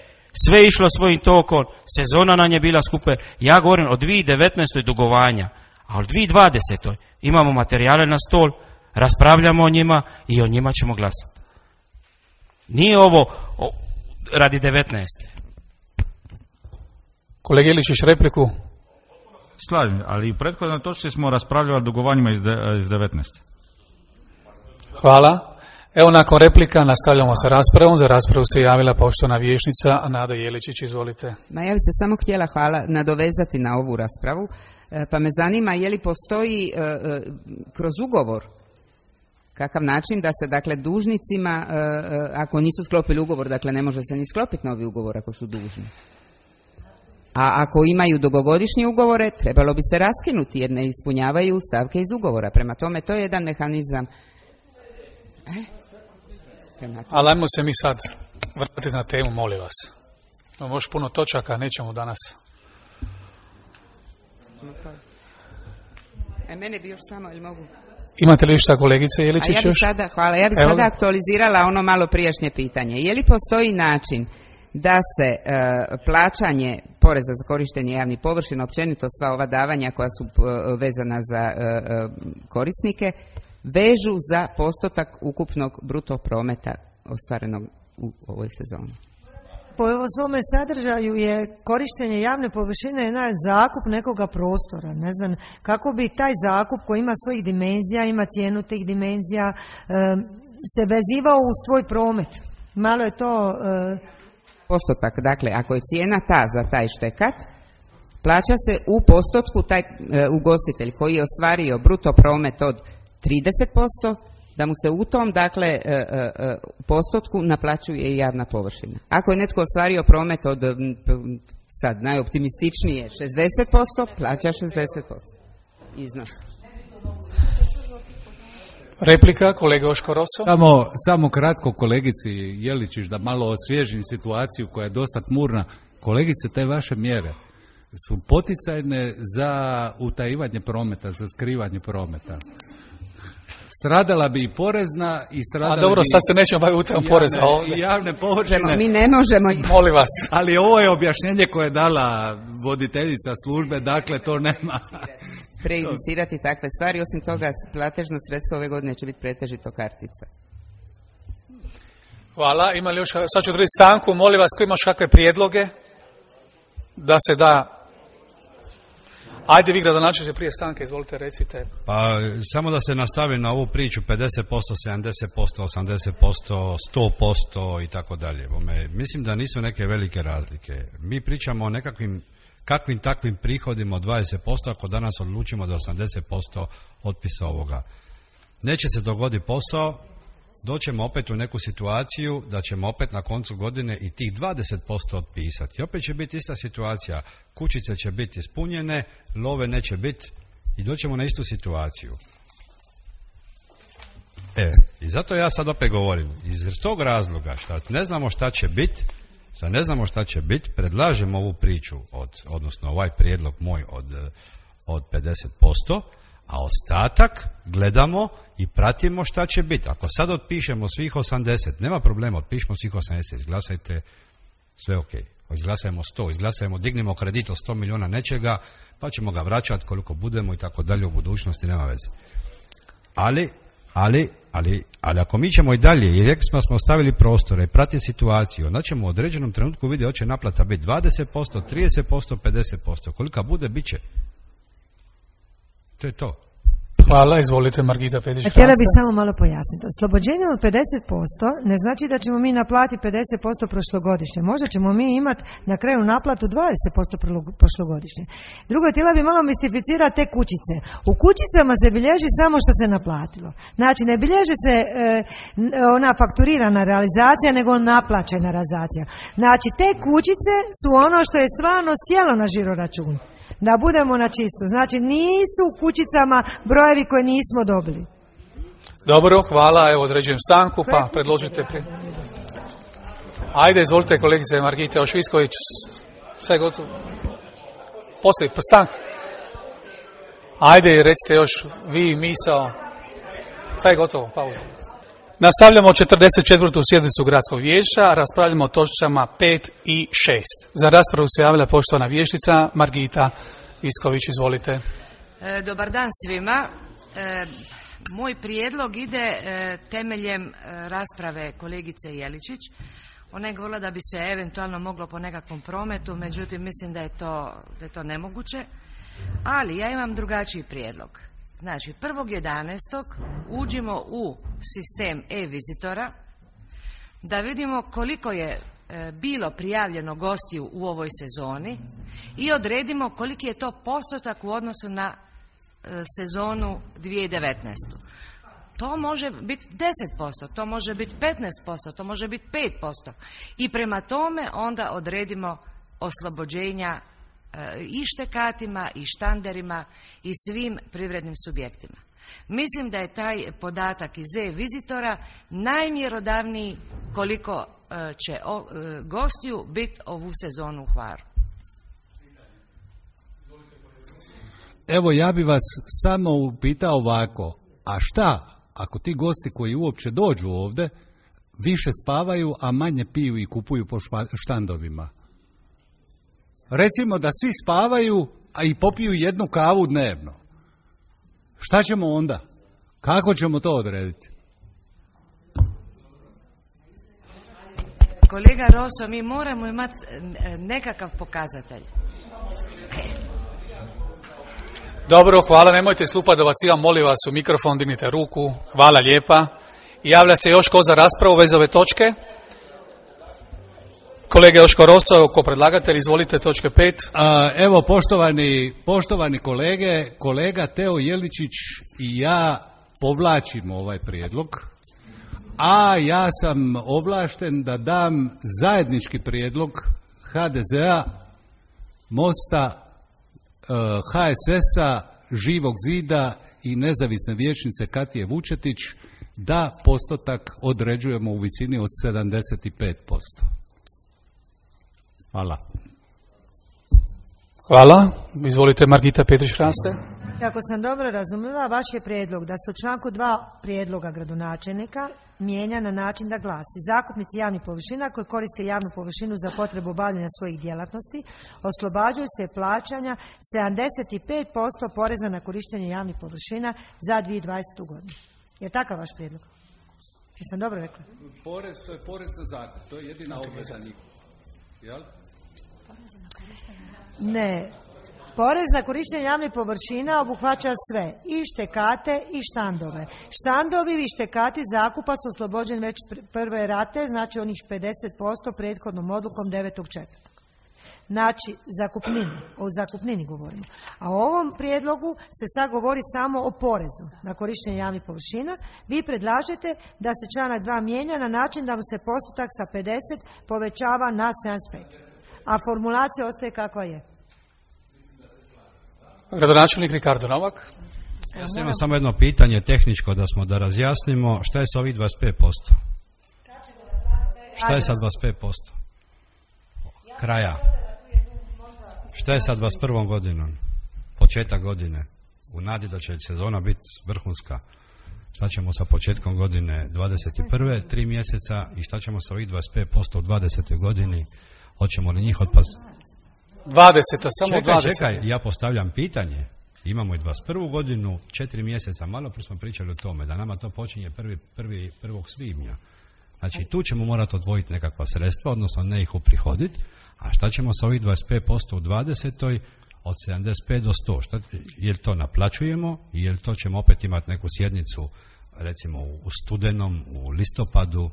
sve je išlo svojim tokom, sezona nam je bila skuper. Ja govorim o dvije tisuće devetnaestoj dugovanja, a u dvije tisuće dvadesetoj imamo materijale na stol, raspravljamo o njima i o njima ćemo glasati. Nije ovo o, radi devetnaeste. Kolega Iličić, repliku. Slažem, ali i prethodno točci smo raspravljali o dugovanjima iz, de, iz devetnaeste. Hvala. Evo, nakon replika nastavljamo sa raspravom. Za raspravu se javila poštovana vijećnica Nada Jeličić, izvolite. Ma ja bih se samo htjela hvala nadovezati na ovu raspravu, pa me zanima je li postoji e, e, kroz ugovor kakav način da se, dakle, dužnicima, e, e, ako nisu sklopili ugovor, dakle ne može se ni sklopiti novi ugovor ako su dužni. A ako imaju dugogodišnje ugovore, trebalo bi se raskinuti jer ne ispunjavaju stavke iz ugovora. Prema tome, to je jedan mehanizam. E? Ali ajmo se mi sad vratiti na temu, molim vas. Imamo još puno točaka, nećemo danas. E, mene bi još samo, ili mogu? Imate li šta, kolegice Jeličić? A ja bih sada, hvala, ja bih Evo. sada aktualizirala ono malo prijašnje pitanje. Je li postoji način da se e, plaćanje poreza za korištenje javnih površina, općenito sva ova davanja koja su e, vezana za e, e, korisnike, vežu za postotak ukupnog bruto prometa ostvarenog u ovoj sezoni? Po svome sadržaju je korištenje javne površine jedan zakup nekoga prostora. Ne znam kako bi taj zakup koji ima svojih dimenzija, ima cijenu tih dimenzija, se vezivao uz tvoj promet. Malo je to... Postotak, dakle, ako je cijena ta za taj štekat, plaća se u postotku taj ugostitelj koji je ostvario bruto promet od trideset posto, da mu se u tom, dakle, e, e, postotku naplaćuje i javna površina. Ako je netko ostvario promet od, sad najoptimističnije, šezdeset posto, plaća šezdeset posto iznos. Replika, kolega Joško Roso. Samo, samo kratko kolegici Jeličić, da malo osvježim situaciju koja je dosta tmurna. Kolegice, te vaše mjere su poticajne za utajivanje prometa, za skrivanje prometa. Stradala bi i porezna i stradala bi... A dobro, sad se nećemo baviti utajom poreza ovdje. I javne površine. Mi ne možemo... Molim vas. Ali ovo je objašnjenje koje je dala voditeljica službe, dakle to nema... Prejudicirati takve stvari, osim toga platežno sredstvo ove godine će biti pretežito kartica. Hvala, ima li još, sad ću odrediti stanku, molim vas, ko imaš kakve prijedloge da se da... Ajde vi gradonačelniče prije stanke, izvolite, recite. Pa samo da se nastavi na ovu priču pedeset posto, sedamdeset posto, osamdeset posto, sto posto i tako dalje. Mislim da nisu neke velike razlike. Mi pričamo o nekakvim kakvim takvim prihodima od dvadeset posto ako danas odlučimo da osamdeset posto otpisa ovoga. Neće se dogoditi posao, doćemo opet u neku situaciju da ćemo opet na koncu godine i tih dvadeset posto otpisati. I opet će biti ista situacija. Kućice će biti ispunjene, love neće biti i doćemo na istu situaciju. E, i zato ja sad opet govorim, iz tog razloga što ne znamo šta će biti, što ne znamo šta će biti, predlažem ovu priču, od, odnosno ovaj prijedlog moj od, od pedeset posto, a ostatak gledamo i pratimo šta će biti. Ako sad otpišemo svih osamdeset, nema problema, otpišemo svih osamdeset, izglasajte, sve ok. Izglasajmo sto, izglasajmo, dignemo kredit od sto milijuna nečega, pa ćemo ga vraćati koliko budemo i tako dalje u budućnosti, nema veze. Ali, ali, ali, ali ako mi ćemo i dalje, i rekli smo smo ostavili prostore i pratiti situaciju, onda ćemo u određenom trenutku vidjeti hoće naplata biti dvadeset posto, trideset posto, pedeset posto. Kolika bude, bit će. To je to. Hvala, izvolite Margita Pedić. Htjela bih samo malo pojasniti. Oslobođenje od pedeset posto ne znači da ćemo mi naplatiti pedeset posto prošlogodišnje. Možda ćemo mi imati na kraju naplatu dvadeset posto prošlogodišnje. Drugo, htjela bih malo mistificirati te kućice. U kućicama se bilježi samo što se naplatilo. Znači, ne bilježi se e, ona fakturirana realizacija, nego naplaćena realizacija. Znači, te kućice su ono što je stvarno sjelo na žiroračun. Da budemo na čisto. Znači, nisu u kućicama brojevi koje nismo dobili. Dobro, hvala. Evo, određujem stanku, pa predložite prije. Ajde, izvolite, kolegice Margita Ošvisković. Sve gotovo. Poslije, stanka. Ajde, recite još vi misao. Sve gotovo, pauza. Nastavljamo četrdeset četvrtu sjednicu Gradskog vijeća, raspravljamo o točkama pet i šest. Za raspravu se javila poštovana vijećnica Margita Visković, izvolite. E, dobar dan svima. E, moj prijedlog ide e, temeljem e, rasprave kolegice Jeličić. Ona je govorila da bi se eventualno moglo po nekakvom prometu, međutim mislim da je to, da je to nemoguće. Ali ja imam drugačiji prijedlog. Znači, prvog jedanaestog uđimo u sistem e-vizitora da vidimo koliko je e, bilo prijavljeno gostiju u ovoj sezoni i odredimo koliki je to postotak u odnosu na e, sezonu dvije tisuće devetnaeste. To može biti deset posto, to može biti petnaest posto, to može biti pet posto. I prema tome onda odredimo oslobođenja i štekatima i štanderima i svim privrednim subjektima. Mislim da je taj podatak iz e-vizitora najmjerodavniji koliko će gostiju biti ovu sezonu u Hvaru. Evo, ja bi vas samo upitao ovako, a šta ako ti gosti koji uopće dođu ovdje više spavaju, a manje piju i kupuju po štandovima? Recimo da svi spavaju, a i popiju jednu kavu dnevno. Šta ćemo onda? Kako ćemo to odrediti? Kolega Roso, mi moramo imati nekakav pokazatelj. Dobro, hvala, nemojte slupadovat, ja molim vas u mikrofon, dignite ruku, hvala lijepa. Javlja se još ko za raspravu vez ove točke? Kolega Joško Roso, ko predlagatelj, izvolite, točke pet. A, evo, poštovani, poštovani kolege, kolega Teo Jeličić i ja povlačimo ovaj prijedlog, a ja sam ovlašten da dam zajednički prijedlog ha de zea, Mosta, ha es es a, Živog zida i nezavisne vijećnice Katije Vučetić da postotak određujemo u visini od sedamdeset pet posto. Hvala. Hvala. Izvolite, Margita Petrić-Hraste. Ako sam dobro razumjela, vaš je prijedlog da se u članku dva prijedloga gradonačelnika mijenja na način da glasi: zakupnici javnih površina koji koriste javnu površinu za potrebu obavljanja svojih djelatnosti oslobađaju se plaćanja sedamdeset pet posto poreza na korištenje javnih površina za dvije tisuće dvadesetu godinu. Je takav vaš prijedlog? Jesam dobro rekla? Porez, to je porez na zakup, to je jedina obveza njihova. Jel? Ne. Porez na korištenje javnih površina obuhvaća sve, i štekate i štandove. Štandovi i štekati zakupa su oslobođeni već prve rate, znači onih pedeset posto prethodnom odlukom devetog četvrtog znači zakupnini, o zakupnini govorimo. A u ovom prijedlogu se sad govori samo o porezu na korištenje javnih površina. Vi predlažete da se članak dva mijenja na način da mu se postotak sa pedeset povećava na sedamdeset pet. A formulacija ostaje kakva je. Gradonačelnik Ricardo Novak. Ja sam imam samo jedno pitanje tehničko da smo da razjasnimo šta je sa ovih dvadeset pet posto. Šta je sa dvadeset pet posto? Kraja. Šta je sa dvadeset prvom godinom? Početak godine. U nadi da će sezona biti vrhunska. Šta ćemo sa početkom godine dvadeset prve tri mjeseca i šta ćemo sa ovih dvadeset pet posto u dvadesetoj godini? Hoćemo li njih otpas? dvadeseta, samo čekaj, dvadeset. Čekaj, ja postavljam pitanje. Imamo i dvadeset prvu godinu, četiri mjeseca, malo prije smo pričali o tome, da nama to počinje prvi, prvi, prvog svibnja. Znači, tu ćemo morati odvojiti nekakva sredstva, odnosno ne ih uprihoditi, a šta ćemo sa ovih dvadeset pet posto u dvadesetoj od sedamdeset pet do sto? Šta, je li to naplaćujemo, je li to ćemo opet imati neku sjednicu, recimo u studenom, u listopadu,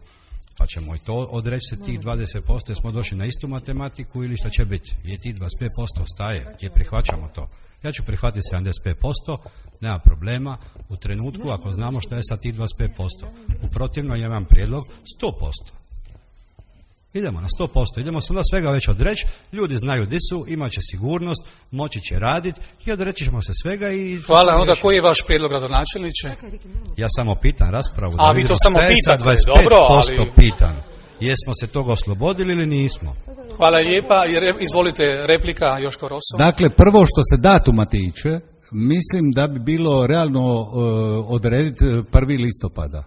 pa ćemo i to odreći se tih dvadeset posto, jer smo došli na istu matematiku ili šta će biti? Je tih dvadeset pet posto ostaje, je prihvaćamo to. Ja ću prihvatiti sedamdeset pet posto, nema problema, u trenutku ako znamo šta je sa tih dvadeset pet posto. U protivno ja imam prijedlog sto posto. Idemo na sto posto, idemo se onda svega već odreći, ljudi znaju di su, imat će sigurnost, moći će raditi i odreći ćemo se svega i... Hvala, onda koji je vaš prijedlog, gradonačelniče? Ja samo pitam raspravu. A vi to samo pitate, dobro, ali... pitan. Jesmo se toga oslobodili ili nismo? Hvala lijepa, izvolite replika Joško Roso. Dakle, prvo što se datuma tiče, mislim da bi bilo realno uh, odrediti prvi listopada.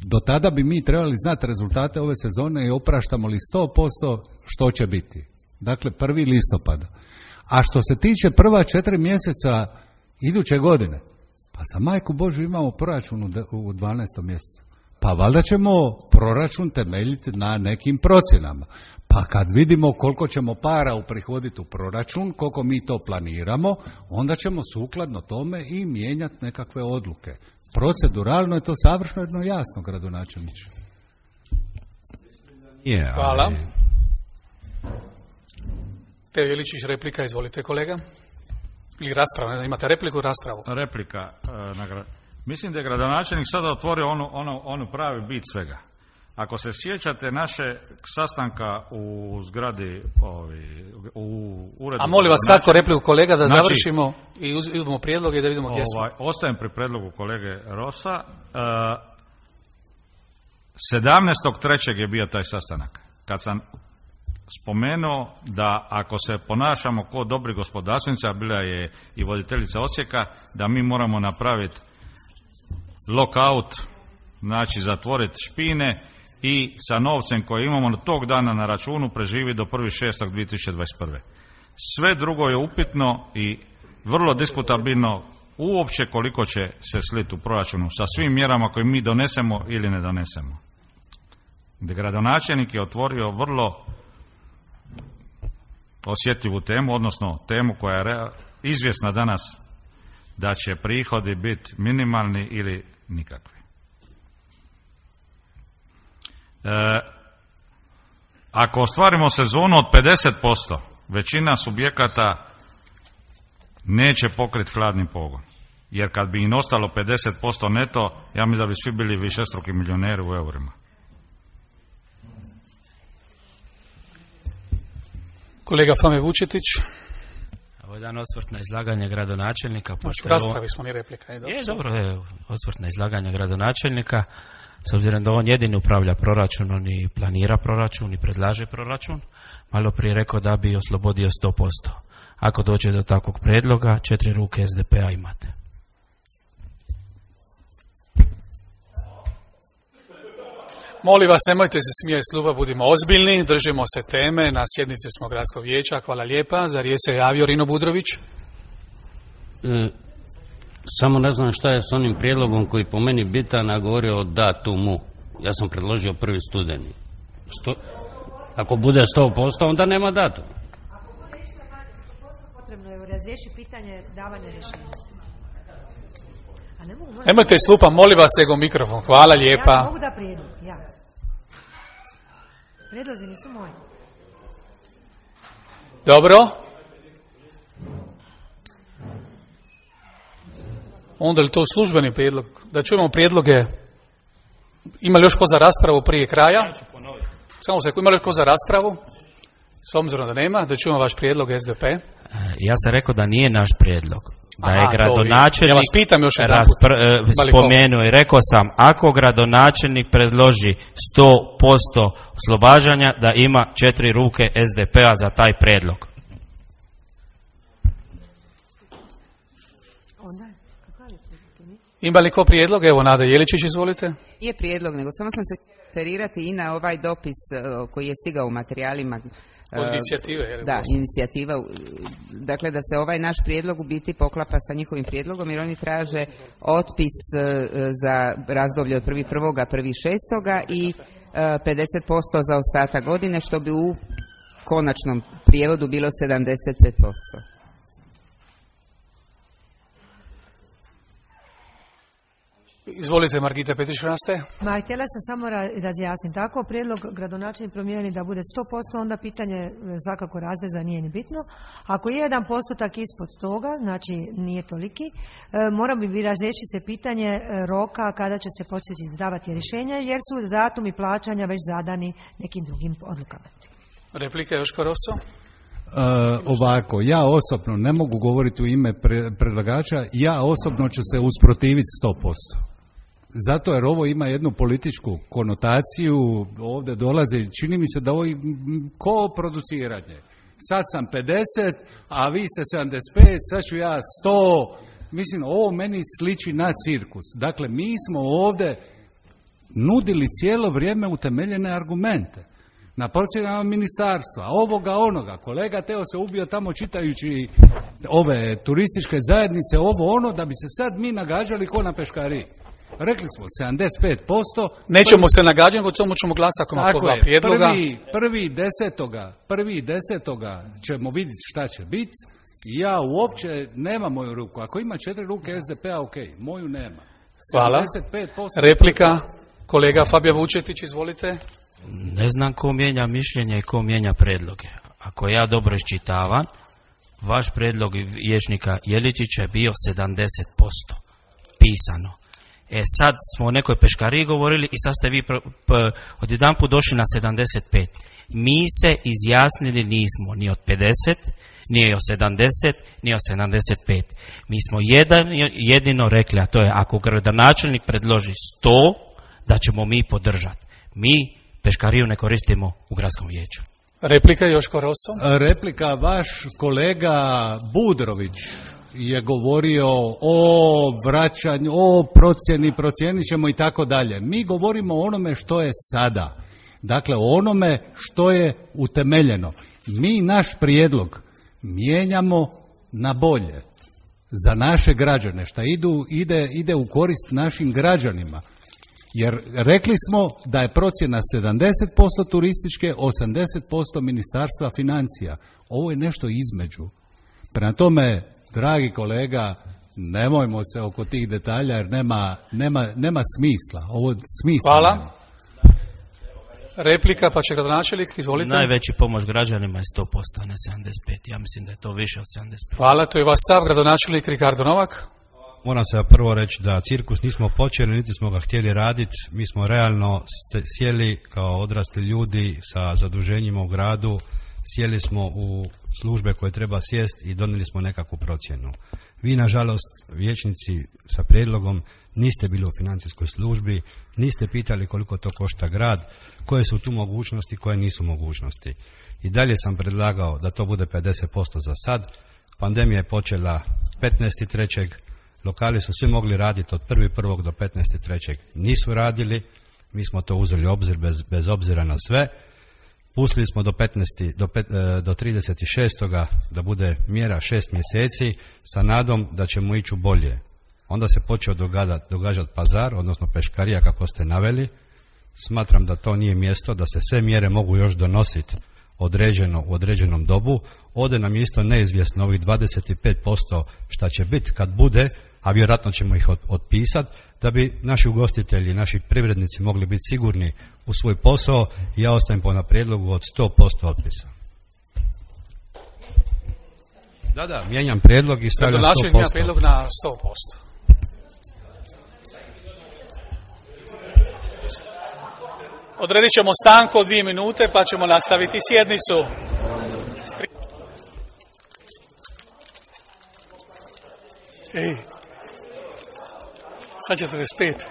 Do tada bi mi trebali znati rezultate ove sezone i opraštamo li sto posto što će biti. Dakle, prvi listopada. A što se tiče prva četiri mjeseca iduće godine, pa za majku Božju imamo proračun u dvanaestom mjesecu. Pa valjda ćemo proračun temeljiti na nekim procjenama. Pa kad vidimo koliko ćemo para uprihoditi u proračun, koliko mi to planiramo, onda ćemo sukladno tome i mijenjati nekakve odluke. Proceduralno je to savršeno jasno, gradonačelniče. Yeah, Hvala. ali... Teo Jeličić, replika, izvolite kolega. Ili rasprava, ne, imate repliku i raspravu. Replika. E, na gra... Mislim da je gradonačelnik sada otvorio onu, onu, onu pravi bit svega. Ako se sjećate naše sastanka u zgradi, ovi, u uredu... A molim vas kratko repliku kolega da znači, završimo i uzmemo prijedloge i da vidimo gdje smo. Ovaj, ostajem pri predlogu kolege Rosa. sedamnaestog trećeg je bio taj sastanak. Kad sam spomenuo da ako se ponašamo kao dobri gospodarstvenici, a bila je i voditeljica Osijeka, da mi moramo napraviti lockout, znači zatvoriti špine i sa novcem koji imamo tog dana na računu preživi do prvog šestog dvije tisuće dvadeset prve. Sve drugo je upitno i vrlo diskutabilno uopće koliko će se sliti u proračunu sa svim mjerama koje mi donesemo ili ne donesemo. Gradonačelnik je otvorio vrlo osjetljivu temu, odnosno temu koja je izvjesna danas da će prihodi biti minimalni ili nikakvi. E, ako ostvarimo sezonu od pedeset posto, većina subjekata neće pokriti hladni pogon. Jer kad bi im ostalo pedeset posto neto, ja mislim da bi svi bili višestruki milioneri u eurima. Kolega Fame Vučetić. Ovo je jedan osvrt na izlaganje gradonačelnika. Znači, raspravi smo ni replika. Je, je dobro, je osvrt na izlaganje gradonačelnika. S obzirom da on jedini upravlja proračunom i planira proračun i predlaže proračun, malo prije rekao da bi oslobodio sto posto. Ako dođe do takvog predloga, četiri ruke S D P-a imate. Molim vas, nemojte se smijeti s kluba, budimo ozbiljni, držimo se teme, na sjednici smo gradskog vijeća, hvala lijepa. Za riječ se javio Rino Budrović. E, samo ne znam šta je s onim prijedlogom koji po meni bitan, a govorio o datumu. Ja sam predložio prvi studeni. Sto, ako bude sto posto, onda nema datum. Ako bude išta manje, sto posto potrebno je razriješiti pitanje davanja rješenja. A ne mogu, nemojte slupa, molim vas, nego mikrofon. Hvala lijepa. Ja mogu da prijedlog, ja. Prijedlozi nisu moji. Dobro. Onda li to službeni prijedlog? Da čujemo prijedloge. Ima li još ko za raspravu prije kraja? Samo se, ima li još ko za raspravu? S obzirom da nema, da čujemo vaš prijedlog S D P. Ja sam rekao da nije naš prijedlog. Da Aha, je gradonačelnik ja vas pitam još jedan raspr- spomenuo i rekao sam, ako gradonačelnik predloži sto posto oslobađanja, da ima četiri ruke S D P-a za taj prijedlog. Ima li ko prijedlog? Evo, Nada Jeličić, izvolite. Nije prijedlog, nego samo sam se referirati i na ovaj dopis uh, koji je stigao u materijalima. Od inicijative. Je li da, inicijativa. Dakle, da se ovaj naš prijedlog u biti poklapa sa njihovim prijedlogom, jer oni traže otpis uh, za razdoblje od prvi prvog prvi šestoga i uh, pedeset posto za ostatak godine, što bi u konačnom prijevodu bilo sedamdeset pet posto. Izvolite, Margita Petrić-Hraste. Ma, htjela sam samo razjasniti. Tako prijedlog gradonačelnik promijeni da bude sto posto, onda pitanje svakako razdeza nije ni bitno. Ako je jedan postotak ispod toga, znači nije toliki, mora bi razreći se pitanje roka kada će se početi izdavati rješenja, jer su datumi plaćanja već zadani nekim drugim odlukama. Replika Joško Rosso. Uh, ovako, ja osobno ne mogu govoriti u ime pre, predlagača, ja osobno ću se usprotiviti sto posto. Zato jer ovo ima jednu političku konotaciju, ovdje dolazi, čini mi se da ovo ko produciranje. Sad sam pedeset, a vi ste sedamdeset pet, sad ću ja sto. Mislim, ovo meni sliči na cirkus. Dakle, mi smo ovdje nudili cijelo vrijeme utemeljene argumente na procjenama ministarstva, ovoga, onoga. Kolega Teo se ubio tamo čitajući ove turističke zajednice, ovo ono, da bi se sad mi nagađali ko na peškariji. Rekli smo sedamdeset pet posto. Nećemo prvi, se nagađati, nego samo ćemo glasati ako ima prijedloga. Prvi, prvi desetoga, prvi desetoga ćemo vidjeti šta će biti. Ja uopće nemam moju ruku. Ako ima četiri ruke S D P-a, ok, moju nema. Hvala. Replika, kolega Fabija Vučetić, izvolite. Ne znam ko mijenja mišljenje i ko mijenja predloge. Ako ja dobro iščitavam, vaš predlog vijećnika Jeličića je bio sedamdeset posto pisano. E sad smo o nekoj peškariji govorili i sad ste vi pr- p- odjedanput došli na sedamdeset pet. Mi se izjasnili nismo ni od pedeset, ni od sedamdeset, ni od sedamdeset pet. Mi smo jedan, jedino rekli, a to je ako gradonačelnik predloži sto, da ćemo mi podržati. Mi peškariju ne koristimo u gradskom vijeću. Replika Joško Rosso. Replika, vaš kolega Budrović je govorio o vraćanju, o procjeni, procijenit ćemo i tako dalje. Mi govorimo o onome što je sada. Dakle, o onome što je utemeljeno. Mi naš prijedlog mijenjamo na bolje za naše građane, šta idu, ide, ide u korist našim građanima. Jer rekli smo da je procjena sedamdeset posto turističke, osamdeset posto ministarstva financija. Ovo je nešto između. Prema tome, dragi kolega, nemojmo se oko tih detalja jer nema, nema, nema smisla. Ovo smisla Hvala. Nema. Replika, pa će gradonačelnik, izvolite. Najveći pomoć građanima je sto posto, a ne sedamdeset pet. Ja mislim da je to više od sedamdeset pet. Hvala, to je vaš stav, gradonačelnik Ricardo Novak. Moram se prvo reći da cirkus nismo počeli, niti smo ga htjeli raditi. Mi smo realno sjeli kao odrasli ljudi sa zaduženjima u gradu, sjeli smo u službe koje treba sjest i donijeli smo nekakvu procjenu. Vi, nažalost, vijećnici sa prijedlogom, niste bili u financijskoj službi, niste pitali koliko to košta grad, koje su tu mogućnosti, koje nisu mogućnosti. I dalje sam predlagao da to bude pedeset posto za sad. Pandemija je počela petnaestog trećeg Lokali su svi mogli raditi od prvog prvog do petnaestog trećeg Nisu radili, mi smo to uzeli u obzir bez, bez obzira na sve. Pustili smo do, petnaestog do, pet, do trideset šestog da bude mjera šest mjeseci sa nadom da ćemo ići u bolje. Onda se počeo događati, događati pazar, odnosno peškarija kako ste naveli. Smatram da to nije mjesto, da se sve mjere mogu još donositi određeno u određenom dobu. Ode nam isto neizvjesno ovih dvadeset pet posto šta će biti kad bude, a vjerojatno ćemo ih otpisati, da bi naši ugostitelji, naši privrednici mogli biti sigurni u svoj posao. Ja ostajem po na prijedlogu od sto posto otpisa. Da, da, mijenjam prijedlog i stavljam sto posto. Gradonačelnik mijenja prijedlog na sto posto. Odredit ćemo stanku od dvije minute pa ćemo nastaviti sjednicu. Ej, sad četrdeset pet.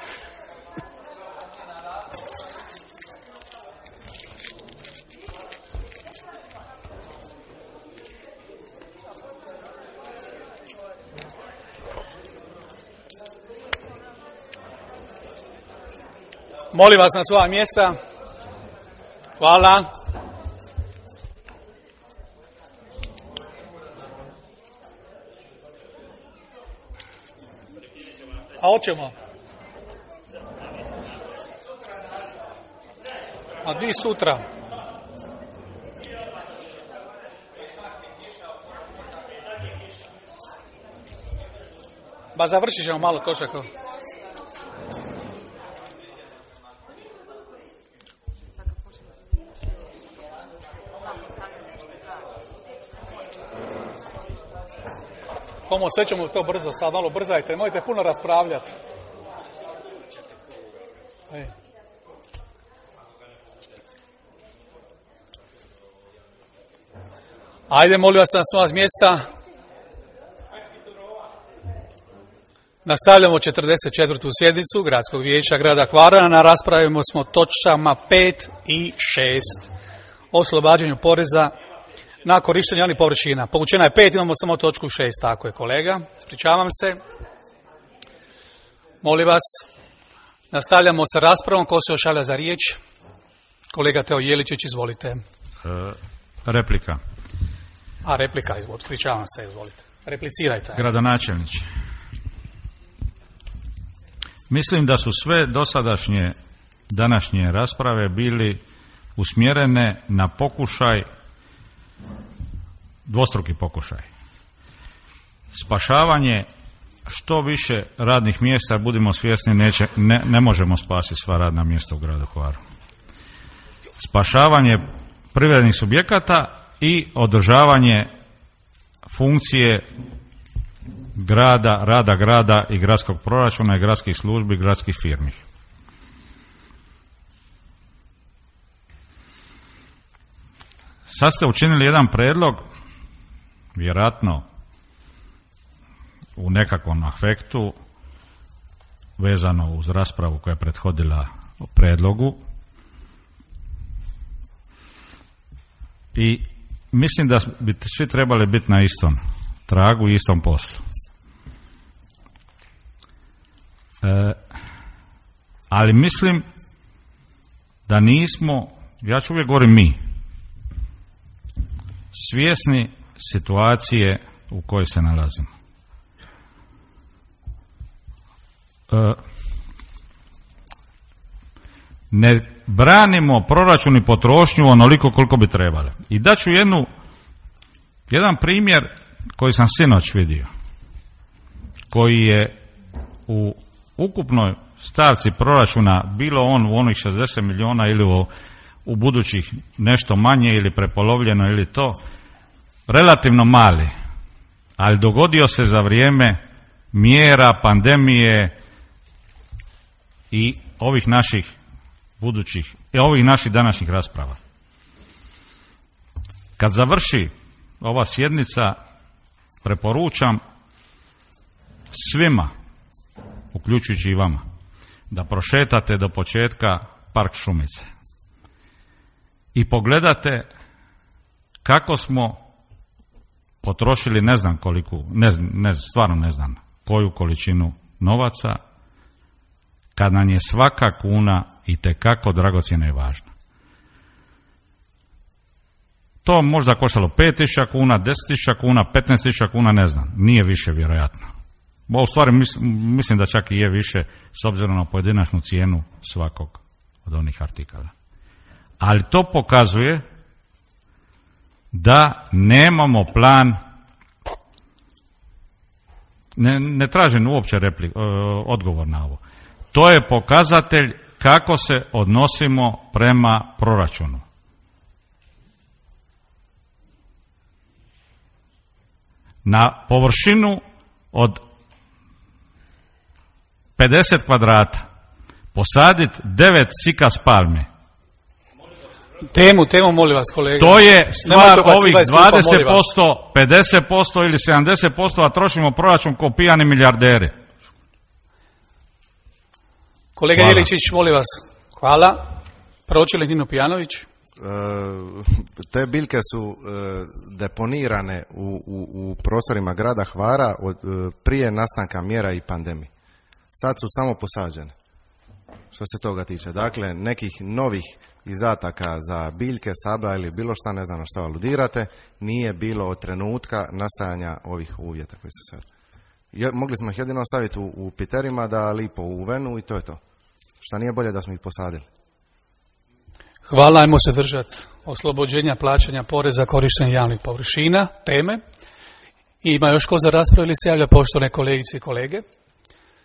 Molim vas na svoja mjesta. Hvala. A hoćemo? A di sutra? Ba završit ćemo malo točaka. Komo, sve ćemo to brzo, sad malo brzajte, nemojte puno raspravljati. Ej. Ajde, molim vas na svoja mjesta. Nastavljamo četrdeset četvrtu sjednicu Gradskog vijeća grada Hvara. Raspravimo smo točkama pet i šest. O oslobađanju poreza na korištenje javnih površina. Povučena je pet, imamo samo točku šest, tako je kolega. Ispričavam se. Molim vas, nastavljamo sa raspravom. Ko se još javlja za riječ? Kolega Teo Jeličić, izvolite. E, replika. A, replika, izvolite. Ispričavam se, izvolite. Replicirajte. Gradonačelniče. Mislim da su sve dosadašnje današnje rasprave bili usmjerene na pokušaj, dvostruki pokušaj. Spašavanje što više radnih mjesta, budimo svjesni, neće, ne, ne možemo spasiti sva radna mjesta u gradu Hvaru. Spašavanje privrednih subjekata i održavanje funkcije grada, rada grada i gradskog proračuna i gradskih službi, gradskih firmi. Sad ste učinili jedan predlog, vjerojatno u nekakvom afektu, vezano uz raspravu koja je prethodila predlogu. I mislim da bi svi trebali biti na istom tragu i istom poslu. E, ali mislim da nismo, ja ću uvijek govorim mi, svjesni situacije u kojoj se nalazimo. E, ne branimo proračun i potrošnju onoliko koliko bi trebali. I daću jednu, jedan primjer koji sam sinoć vidio, koji je u ukupnoj stavci proračuna, bilo on u onih šezdeset milijuna ili u, u budućih nešto manje ili prepolovljeno ili to, relativno mali, ali dogodio se za vrijeme mjera, pandemije i ovih naših budućih, i ovih naših današnjih rasprava. Kad završi ova sjednica, preporučam svima, uključujući i vama, da prošetate do početka Park Šumice i pogledate kako smo potrošili, ne znam koliko, ne, ne, stvarno ne znam koju količinu novaca, kad nam je svaka kuna itekako dragocjena i važna. To možda koštalo pet tisuća kuna, deset tisuća kuna, petnaest tisuća kuna, ne znam, nije više vjerojatno. Bo u stvari mislim, mislim da čak i je više s obzirom na pojedinačnu cijenu svakog od onih artikala. Ali to pokazuje da nemamo plan, ne, ne tražim uopće replik, odgovor na ovo. To je pokazatelj kako se odnosimo prema proračunu. na površinu od pedeset kvadrata posaditi devet sikas palme. Temu, temu, molim vas, kolega. To je stvar ovih dvadeset posto, pedeset posto ili sedamdeset posto, a trošimo proračun ko pijani milijarderi. Kolega Jeličić, molim vas. Hvala. Pročelnik Nino Pijanović. E, te biljke su e, deponirane u, u, u prostorima grada Hvara od, e, prije nastanka mjera i pandemije. Sad su samo posađene. Što se toga tiče. Dakle, nekih novih izdataka za biljke, sabla ili bilo šta, ne znam na što aludirate, nije bilo od trenutka nastajanja ovih uvjeta koji su sad. Je, mogli smo ih jedino staviti u, u piterima da lipo u venu i to je to. Šta nije bolje da smo ih posadili. Hvala, ajmo se držati oslobođenja plaćanja poreza korištenja javnih površina, teme. I ima još ko za raspravu ili se javlja poštovane kolegice i kolege?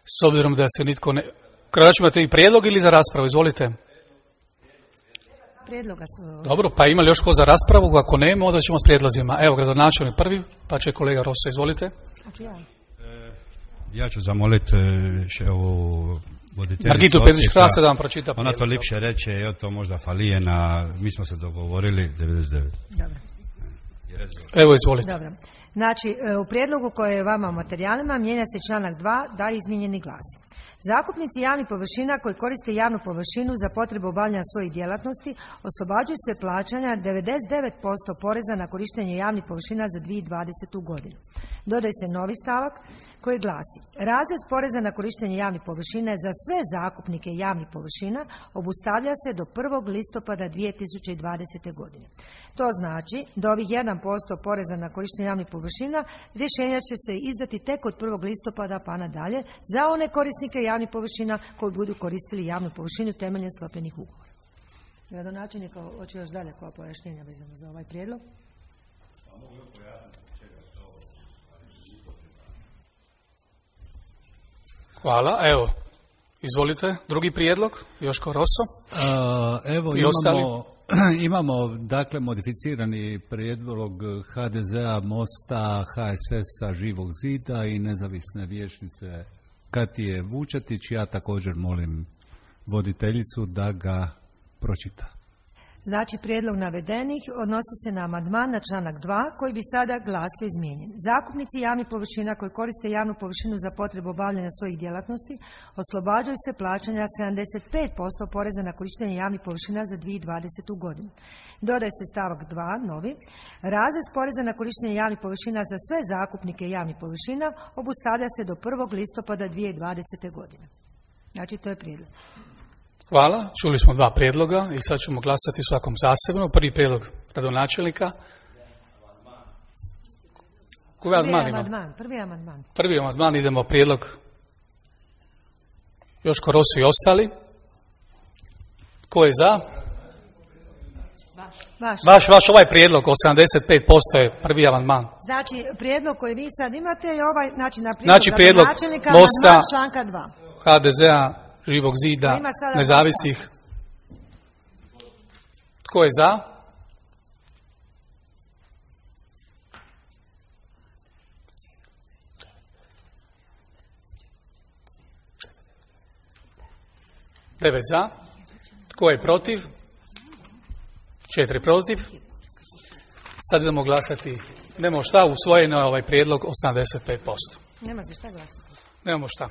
S obzirom da se nitko ne... Kraći, imate i prijedlog ili za raspravu? Izvolite. Prijedloga su... Dobro, pa ima li još ko za raspravu? Ako nema, onda ćemo s prijedlozima. Evo, gradonačelnik prvi, pa će kolega Rosso, izvolite. Ja ću zamoliti ovu voditeljicu Margitu Pezić-Hrasta da vam pročita prijedlog. Ona to lipše reče, je to možda falije na, mi smo se dogovorili devedeset devet. Dobro. Evo, izvolite. Dobro. Znači, u prijedlogu koje je vama u materijalima mijenja se članak dva, da izmijenjeni glasi. Zakupnici javnih površina koji koriste javnu površinu za potrebu obavljanja svojih djelatnosti oslobađuju se plaćanja devedeset devet posto poreza na korištenje javnih površina za dvije tisuće dvadesetu godinu. Dodaje se novi stavak koji glasi: razred poreza na korištenje javnih površina za sve zakupnike javnih površina obustavlja se do prvog listopada dvije tisuće dvadesete godine. To znači da ovih jedan posto poreza na korištenje javnih površina rješenja će se izdati tek od prvog listopada pa nadalje za one korisnike javnih površina koji budu koristili javnu površinu temeljem sklopljenih ugovora. Gradonačelnik hoće još dalje koja pojašnjenja vezano za ovaj prijedlog. Hvala, evo, izvolite, drugi prijedlog, Joško Rosso. Uh, evo i imamo, ostali. imamo dakle modificirani prijedlog ha de zea, Mosta, ha es esa, Živog zida i nezavisne vijećnice Katije Vučetić. Ja također molim voditeljicu da ga pročita. Znači, prijedlog navedenih odnosi se na amandman na članak dva koji bi sada glasio izmijenjen. Zakupnici javnih površina koji koriste javnu površinu za potrebu obavljanja svojih djelatnosti oslobađaju se plaćanja sedamdeset pet posto poreza na korištenje javnih površina za dvije tisuće dvadesetu godinu. Dodaje se stavak dva, novi. Razrez poreza na korištenje javnih površina za sve zakupnike javnih površina obustavlja se do prvog listopada dvije tisuće dvadesete godine. Znači, to je prijedlog. Hvala, čuli smo dva prijedloga i sad ćemo glasati svakom zasebno. Prvi prijedlog gradonačelnika. Koji amandman ima? Prvi amandman. Prvi amandman, idemo prijedlog Joško Rosso i ostali. Ko je za? Vaš. Vaš, vaš ovaj prijedlog, osamdeset pet posto je prvi amandman. Znači, prijedlog koji vi sad imate je ovaj, znači na prijedlog, znači, prijedlog gradonačelnika Mosta, članka dva. ha de zea, Živog zida, nezavisnih. Tko je za? Devet za. Tko je protiv? Četiri protiv. Sad idemo glasati. Nemamo šta, usvojeno je ovaj prijedlog osamdeset pet posto. Nema se šta glasati. Nemamo šta.